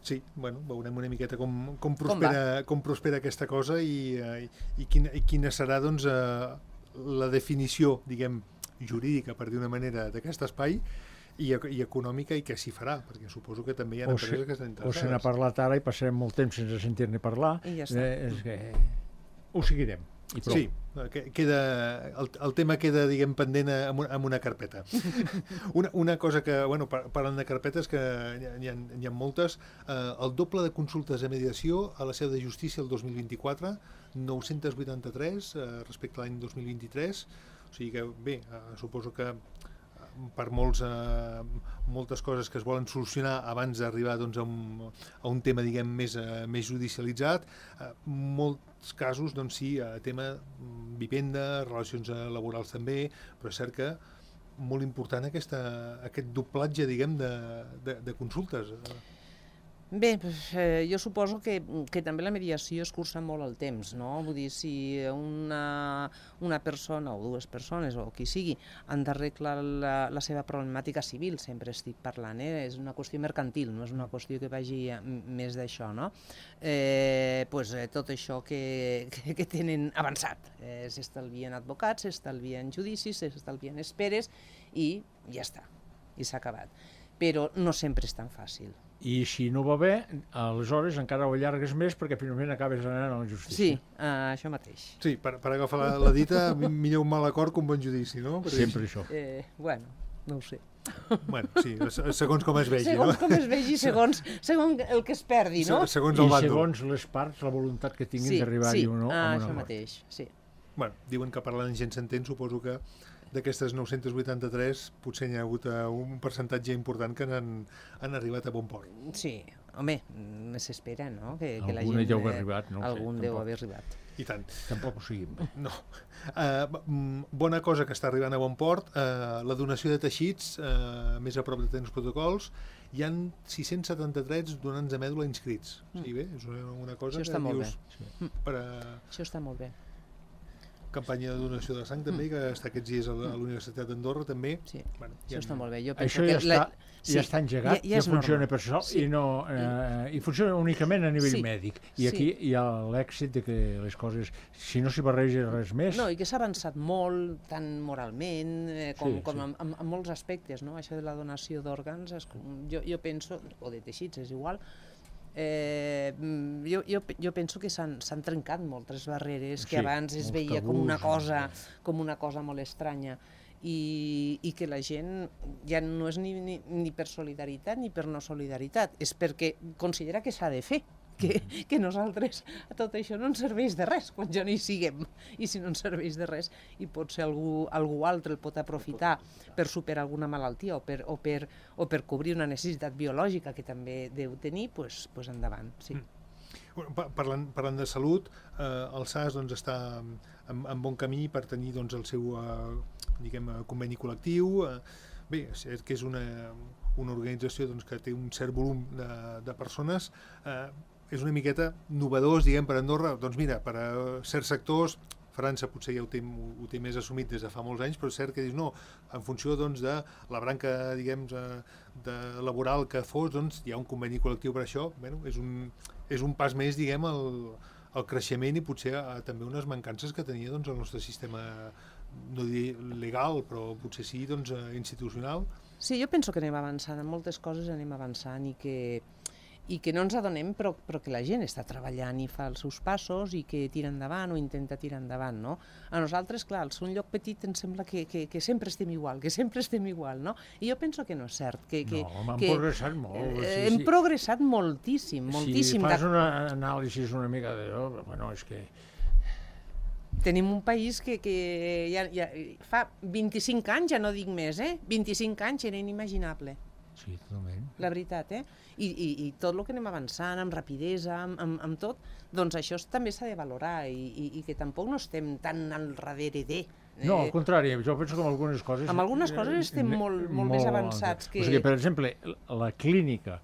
Sí, bueno, veurem una miqueta com, com, Com prospera, com, prospera aquesta cosa i, eh, i, quina, i quina serà, doncs, eh, la definició, diguem, jurídica, per dir una manera, d'aquest espai i, e- i econòmica, i què s'hi farà, perquè suposo que també hi ha O empreses se, que estan o se n'ha interessades. parlat ara i passarem molt temps sense sentir-ne parlar. I ja està. Eh, és que ho seguirem. I prou. Sí, eh, que- queda, el, el tema queda, diguem, pendent a- amb una, amb una carpeta. Una, una cosa que, bueno, par- parlant de carpetes, que n'hi ha, n'hi ha, n'hi ha moltes, eh, el doble de consultes de mediació a la seu de justícia el dos mil vint-i-quatre, nou-cents vuitanta-tres eh, respecte a l'any dos mil vint-i-tres, o sigui que, bé, eh, suposo que per molts, eh, moltes coses que es volen solucionar abans d'arribar, doncs, a, un, a un tema, diguem, més, eh, més judicialitzat. Eh, molts casos, doncs sí, eh, tema mm, vivenda, relacions eh, laborals també, però és cert que molt important aquesta, aquest doblatge, diguem, de, de, de consultes. Bé, eh, jo suposo que, que també la mediació es cursa molt el temps, no? Vull dir, si una, una persona o dues persones o qui sigui han d'arreglar la, la seva problemàtica civil, sempre estic parlant, eh? És una qüestió mercantil, no és una qüestió que vagi a, més d'això, no? Eh, pues, eh, tot això que, que, que tenen avançat. Eh, s'estalvien advocats, s'estalvien judicis, s'estalvien esperes i ja està, i s'ha acabat. Però no sempre és tan fàcil. I si no va bé, aleshores encara ho allargues més perquè finalment acabes anant a la justícia. Sí, uh, això mateix. Sí, per, per agafar la, la dita, millor un mal acord que un bon judici, no? Perquè Sempre això. Eh, bueno, no ho sé. Bueno, sí, segons com es vegi, segons no? com es vegi, segons, segons el que es perdi, no? Segons el I bàndol. segons les parts, la voluntat que tinguin Sí, d'arribar-hi sí, o no. ah, a un això acord. mateix, sí. Bueno, diuen que parlant gent s'entén, suposo que d'aquestes nou-cents vuitanta-tres potser n'hi ha hagut un percentatge important que han, han arribat a bon port. Sí, home, s'espera, no? Que, que la Alguna gent, deu haver eh, arribat, no ho sé, algun deu tampoc. haver arribat. I tant. Tampoc ho sigui. No. Uh, bona cosa que està arribant a bon port, uh, la donació de teixits, uh, més a prop de tants protocols, hi ha sis-cents setanta-tres donants de mèdula inscrits. Mm. Sí, bé, és una, una cosa Això que està molt dius... bé. Sí. Per a... Això està molt bé. Campanya de donació de sang també, que està aquests dies a la, a la Universitat d'Andorra també. Sí, bueno, això està molt bé. Jo Això ja, que està, la... sí, ja està engegat, ja, ja, ja funciona normal. per això Sí. i, no, eh, i funciona únicament a nivell Sí. mèdic. I Sí. aquí hi ha l'èxit de que les coses, si no s'hi barreja res més... No, i que s'ha avançat molt, tant moralment eh, com, Sí, com sí. en, en, en molts aspectes, no? Això de la donació d'òrgans, és com- jo, jo penso, o de teixits, és igual, eh, jo, jo, jo penso que s'han s'han trencat moltes barreres que Sí, abans es molts veia com tabús, una cosa, sí. com una cosa molt estranya. I, i que la gent ja no és ni, ni, ni per solidaritat ni per no solidaritat, és perquè considera que s'ha de fer, que, que nosaltres tot això no ens serveix de res quan ja no hi siguem, i si no ens serveix de res i potser algú, algú altre el pot aprofitar per superar alguna malaltia o per, o per, o per cobrir una necessitat biològica que també deu tenir, pues, pues endavant, sí. Bueno, pa- parlant, parlant de salut, eh, el S A S doncs, està en, en bon camí per tenir doncs, el seu eh, diguem, eh, conveni col·lectiu. Eh, bé, és que és una, una organització doncs, que té un cert volum de, de persones. Eh, és una miqueta novedós, diguem, per Andorra. Doncs mira, per a certs sectors, França potser ja ho té, ho té més assumit des de fa molts anys, però és cert que dius, no, en funció doncs, de la branca, diguem, de, de laboral que fos, doncs, hi ha un conveni col·lectiu per això. Bueno, és un, és un pas més, diguem, al, al creixement i potser a, també unes mancances que tenia doncs, el nostre sistema, no diré legal, però potser sí doncs, institucional. Sí, jo penso que anem avançant, en moltes coses anem avançant i que, i que no ens adonem, però, però que la gent està treballant i fa els seus passos i que tira endavant o intenta tirar endavant, no? A nosaltres, clar, al ser un lloc petit ens sembla que, que, que sempre estem igual, que sempre estem igual, no? I jo penso que no és cert. Que, que, No, hem que, progressat molt. Eh, sí, hem sí. progressat moltíssim, moltíssim. Si fas De- una anàlisi una mica de... Oh, bueno, és que... Tenim un país que, que ja, ja, fa vint-i-cinc anys, ja no dic més, eh? vint-i-cinc anys era inimaginable. Sí, totalment. La veritat, eh? I, i, i tot el que anem avançant, amb rapidesa, amb, amb, amb tot, doncs això també s'ha de valorar i, i, i que tampoc no estem tan al darrere de... No, al contrari, jo penso que amb algunes coses... Amb algunes coses estem eh, molt- molt més avançats que- O sigui, per exemple, la clínica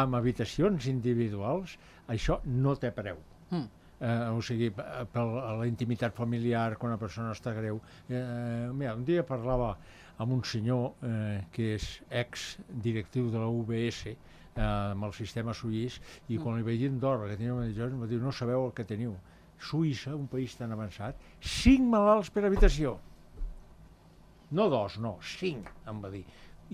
amb habitacions individuals, això no té preu. Mm. Eh, o sigui, per la intimitat familiar, quan una persona està greu. Eh, mira, un dia parlava amb un senyor eh, que és ex-directiu de la U B S, eh, amb el sistema suís, i quan li vaig dir Andorra que tenia una mediació, em va dir, no sabeu el que teniu. Suïssa, un país tan avançat, cinc malalts per habitació. No dos, no, cinc, em va dir.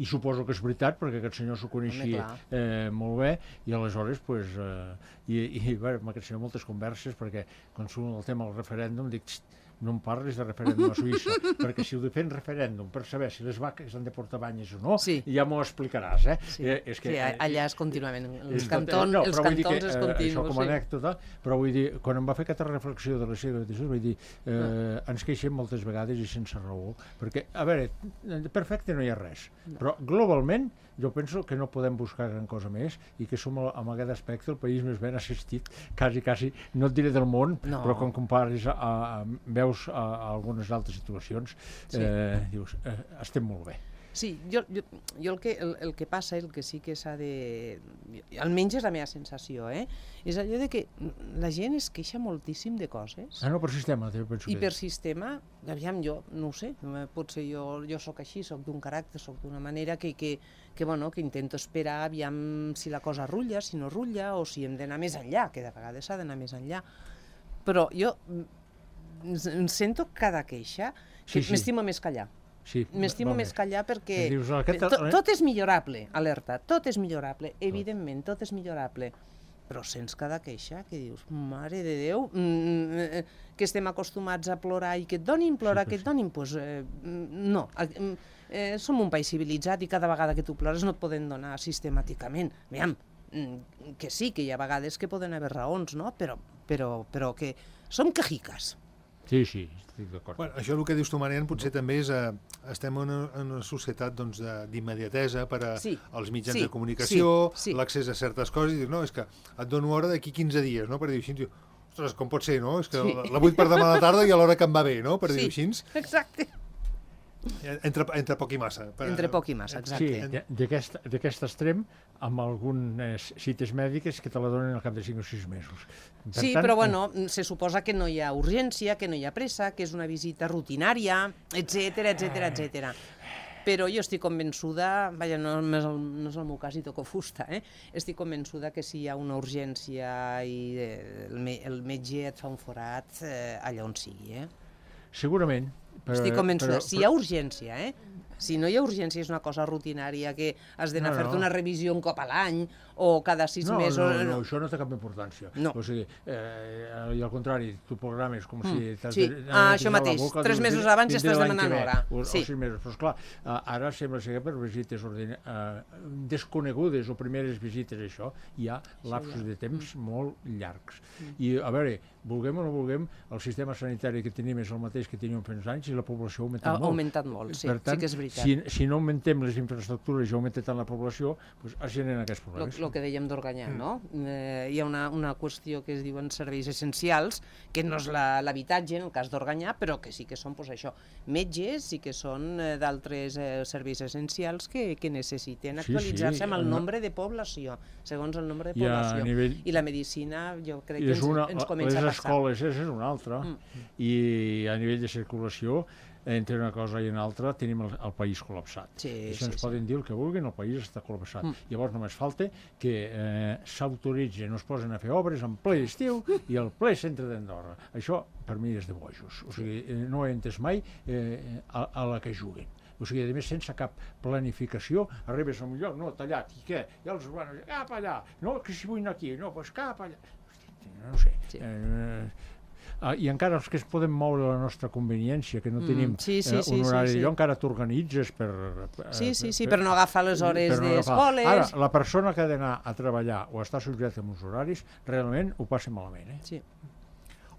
I suposo que és veritat, perquè aquest senyor s'ho coneixia Home, eh, molt bé, i aleshores, pues, eh, i, i bé, amb aquest senyor moltes converses, perquè quan surt el tema del referèndum, dic, "Xt, no em parlis de referèndum a Suïssa, perquè si ho de fer en referèndum per saber si les vaques han de portar banyes o no, Sí. ja m'ho explicaràs, eh? Sí, eh és que, sí, allà és contínuament, els és- cantons, no, els però vull dir cantons que, és eh, continu. Això com a Sí. anècdota, però vull dir, quan em va fer aquesta reflexió de la seva habitació, vaig dir, eh, ens queixem moltes vegades i sense raó, perquè, a veure, de perfecte no hi ha res, però globalment jo penso que no podem buscar gran cosa més i que som, amb aquest aspecte, el país més ben assistit, quasi, quasi, no et diré del món, No. però quan compares a, a, veus a, a algunes altres situacions, Sí. eh, dius, eh, estem molt bé. Sí, jo, jo, jo el, que, el, el que passa, el que sí que s'ha de... Almenys és la meva sensació, eh? És allò de que la gent es queixa moltíssim de coses. Ah, no, per sistema, jo penso I que... per sistema, aviam, jo no ho sé, potser jo, jo sóc així, sóc d'un caràcter, sóc d'una manera que, que, que, bueno, que intento esperar, aviam si la cosa rutlla, si no rutlla, o si hem d'anar més enllà, que de vegades s'ha d'anar més enllà. Però jo em sento cada queixa que Sí, sí. m'estimo més callar. Sí, M'estimo val més callar perquè Dius, aquest- tot, tot és millorable, alerta, tot és millorable, evidentment, tot és millorable, però sents cada queixa que dius, mare de Déu, mm, que estem acostumats a plorar i que et donin, plorar, Sí, que et donin, doncs eh, no, eh, som un país civilitzat i cada vegada que tu plores no et poden donar sistemàticament, aviam, mm, que sí, que hi ha vegades que poden haver raons, no? Però, però, però que som quejiques. Sí, sí, estic d'acord. Bueno, això el que dius tu, Marian, potser també és... Eh, estem en una, en una societat doncs, de- d'immediatesa per a, Sí, als mitjans sí, de comunicació, sí, sí. l'accés a certes coses, i dius, no, és que et dono hora d'aquí quinze dies, no? Per dir així, diu, ostres, com pot ser, no? És que Sí. la, la vull per demà a la tarda i a l'hora que em va bé, no? Per dir-ho Sí, així. exacte. Entre, entre poc i massa. Per, Entre poc i massa, Sí, exacte. de- d'aquest d'aquest extrem, amb algunes cites mèdiques que te la donen al cap de cinc o sis mesos. Per Sí, tant, però bueno, se suposa que no hi ha urgència, que no hi ha pressa, que és una visita rutinària, etcètera, etcètera, etcètera. Però jo estic convençuda, vaja, no, no, és el, no és el meu cas i toco fusta, eh? Estic convençuda que si hi ha una urgència i eh, el, me, el metge et fa un forat, eh, allà on sigui, eh? Segurament. Però, Estic convençuda. però- Si hi ha urgència, eh? Si no hi ha urgència, és una cosa rutinària, que has d'anar No, a fer-te no. una revisió un cop a l'any o cada sis no, mesos... no, no, això no té cap importància. No. O sigui, eh, i al contrari, tu programes com si... t'has sí. de- Ah, de això netejar la mateix. boca, Tres dius, mesos vindré- abans ja vindré estàs l'any demanant que ve, hora. O, Sí. o sis mesos. Però esclar, eh, ara sembla ser que per visites ordina, eh, desconegudes o primeres visites, això, hi ha lapsos de temps molt llargs. I, a veure, vulguem o no vulguem, el sistema sanitari que tenim és el mateix que teníem fa uns anys i la població ha augmentat Ha molt. augmentat molt, sí, Per tant, sí que és veritat. Si, si no augmentem les infraestructures i augmenta tant la població, doncs es generen aquests El problemes. que dèiem d'Organyà, no? Eh, hi ha una, una qüestió que es diuen serveis essencials, que no és la- l'habitatge, en el cas d'Organyà, però que sí que són, doncs, això, metges, sí que són eh, d'altres eh, serveis essencials que, que necessiten Sí, actualitzar-se sí, amb el no- nombre de població, segons el nombre de I a població. nivell- I la medicina, jo crec I que és ens, una, ens comença les a passar. escoles és, és una altra. Mm. I a nivell de circulació, entre una cosa i una altra, tenim el, el país col·lapsat. Sí, Això sí, ens sí. poden dir el que vulguin, el país està col·lapsat. Mm. Llavors només falta que eh, s'autoritzen, no es posen a fer obres en ple estiu i el ple centre d'Andorra. Això, per mi, és de bojos. O sigui, eh, no he entès mai eh, a, a la que juguen. O sigui, a més, sense cap planificació, arribes a un lloc, no, tallat, i què? I els urbanos, cap allà, no, que si vull anar aquí, no, doncs cap allà. Hosti, no sé. Sí. Eh, Ah, i encara els que es podem moure a la nostra conveniència, que no Mm, tenim sí, sí, eh, sí, un sí, horari sí. d'allò, encara t'organitzes per... per Sí, sí, sí, per no agafar les hores per no agafar. d'escoles. Ara, la persona que ha d'anar a treballar o està subjecta a uns horaris, realment ho passa malament, eh? Sí.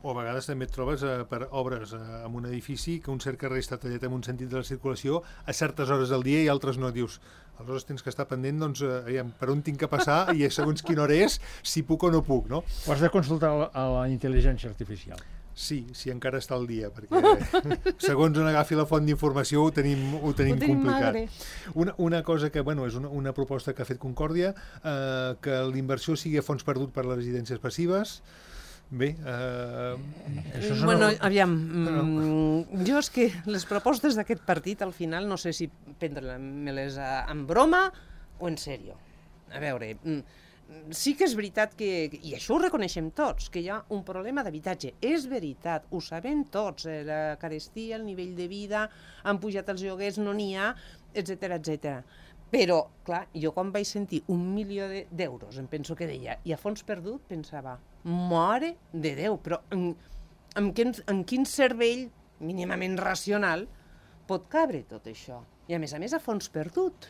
O a vegades també et trobes eh, per obres eh, en un edifici que un cert carrer està tallat en un sentit de la circulació a certes hores del dia i altres no. Dius, aleshores tens que estar pendent doncs, eh, aviam, per on tinc que passar i segons quina hora és, si puc o no puc, no? Ho has de consultar a la, a la intel·ligència artificial. Sí, sí, encara està al dia, perquè segons on agafi la font d'informació ho tenim, ho tenim, Ho tenim complicat. magre. Una, una cosa que, bueno, és una, una proposta que ha fet Concòrdia, eh, que l'inversió sigui a fons perdut per les residències passives. Bé, eh, Això són Bueno, el- aviam, mm, jo és que les propostes d'aquest partit al final no sé si prendre-me-les a- en broma o en sèrio. A veure, mm, sí que és veritat que, i això ho reconeixem tots, que hi ha un problema d'habitatge. És veritat, ho sabem tots, eh, la carestia, el nivell de vida, han pujat els lloguers, no n'hi ha, etcètera, etcètera. Però, clar, jo quan vaig sentir un milió de- d'euros, em penso que deia, i a fons perdut pensava, mare de Déu, però en, en, quin, en quin cervell mínimament racional pot cabre tot això? I a més a més a fons perdut.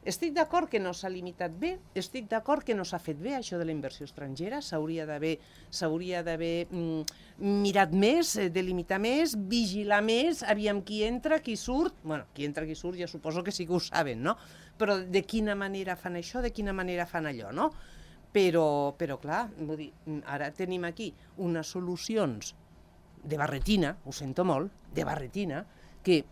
Estic d'acord que no s'ha limitat bé, estic d'acord que no s'ha fet bé això de la inversió estrangera, s'hauria d'haver s'hauria d'haver mm, mirat més, eh, delimitar més, vigilar més, aviam qui entra, qui surt, bueno, qui entra, qui surt ja suposo que sí que ho saben, no? Però de quina manera fan això, de quina manera fan allò, no? Però, però clar, vull dir, ara tenim aquí unes solucions de barretina, ho sento molt, de barretina, que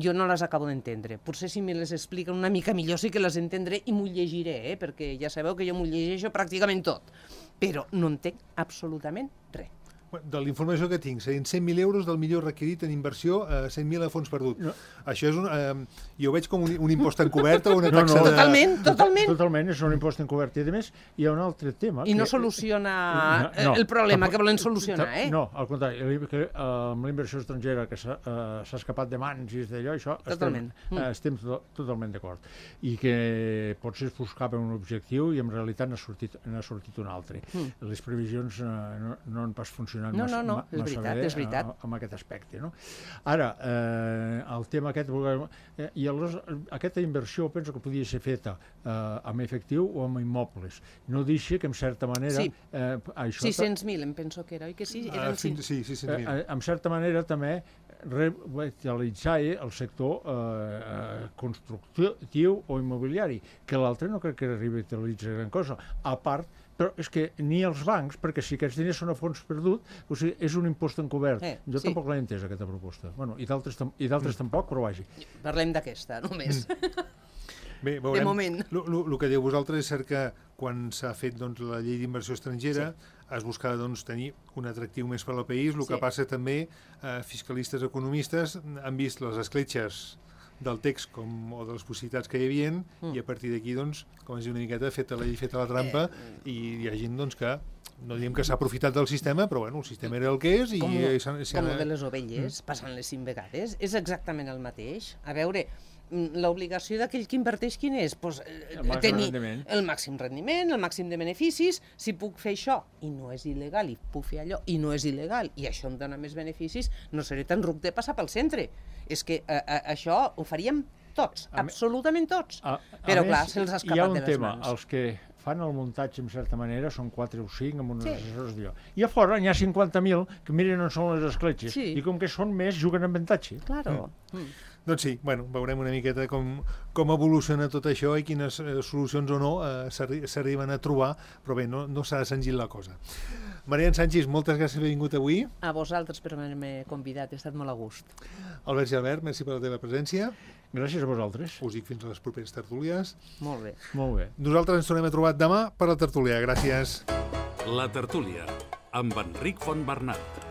jo no les acabo d'entendre. Potser si me les expliquen una mica millor sí que les entendré i m'ho llegiré, eh? Perquè ja sabeu que jo m'ho llegeixo pràcticament tot, però no entenc absolutament res. De la informació que tinc, serien cent mil euros del millor requerit en inversió a cent mil a fons perdut. No. Això és un... Eh, jo ho veig com un, un impost encobert o una taxa no, no, de... Totalment, totalment. Totalment, és un impost encobert. I a més, hi ha un altre tema... I no que... soluciona no, no, el problema que volen solucionar, eh? No, al contrari, que, uh, amb la inversió estrangera que s'ha uh, escapat de mans i d'allò, això totalment. estem, uh, estem to totalment d'acord. I que potser es buscava un objectiu i en realitat n'ha sortit, n'ha sortit un altre. Mm. Les previsions uh, no, no han pas funcionat no, massa, no, no. massa És veritat, bé és veritat. amb aquest aspecte. No? Ara, eh, el tema aquest, eh, i aleshores, aquesta inversió penso que podia ser feta eh, amb efectiu o amb immobles. No deixa que, en certa manera... Sí, eh, això sis-cents mil em penso que era, oi que sí? Eren uh, fins, sí, sis-cents mil. Eh, en certa manera també revitalitzar el sector eh, constructiu o immobiliari, que l'altre no crec que revitalitzi gran cosa, a part però és que ni els bancs, perquè si aquests diners són a fons perdut, o sigui, és un impost encobert. Eh, jo sí. tampoc l'he entès, aquesta proposta. Bueno, i d'altres mm. tampoc, però vagi. Parlem d'aquesta, només. Mm. Bé, veurem. De moment. El que diu vosaltres és cert que quan s'ha fet doncs, la llei d'inversió estrangera sí. es buscava doncs, tenir un atractiu més per al país. El sí. que passa també, eh, fiscalistes, economistes, han vist les escletxes del text com, o de les possibilitats que hi havia mm. i a partir d'aquí, doncs, com es diu una miqueta, feta la llei, feta la trampa, eh. i hi ha gent doncs, que no diem que s'ha aprofitat del sistema, però bueno, el sistema era el que és. I com i com el de les ovelles, mm. passant-les cinc vegades, és exactament el mateix. A veure, l'obligació d'aquell que inverteix quin és? Pues, el tenir rendiment. el màxim rendiment, el màxim de beneficis. Si puc fer això i no és il·legal, i puc fer allò i no és il·legal, i això em dona més beneficis, no seré tan ruc de passar pel centre. És que a, a, això ho faríem tots, a absolutament tots. A, a però clar, se'ls ha escapat de les tema, mans. Els que fan el muntatge, en certa manera, són quatre o cinc amb uns sí. assessors d'allò. I a fora n'hi ha cinquanta mil que miren on són les escletxes, sí. i com que són més, juguen amb avantatge. Claro. Mm. Mm. Doncs sí, bueno, veurem una miqueta com, com evoluciona tot això i quines eh, solucions o no eh, s'arriben a trobar, però bé, no, no s'ha de senzir la cosa. Marian Sanchis, moltes gràcies per haver vingut avui. A vosaltres per haver-me convidat, he estat molt a gust. Albert Gilbert, merci per la teva presència. Gràcies a vosaltres. Us dic fins a les properes tertúlies. Molt bé. Molt bé. Nosaltres ens tornem a trobar demà per la tertúlia. Gràcies. La tertúlia, amb Enric Fontbernat.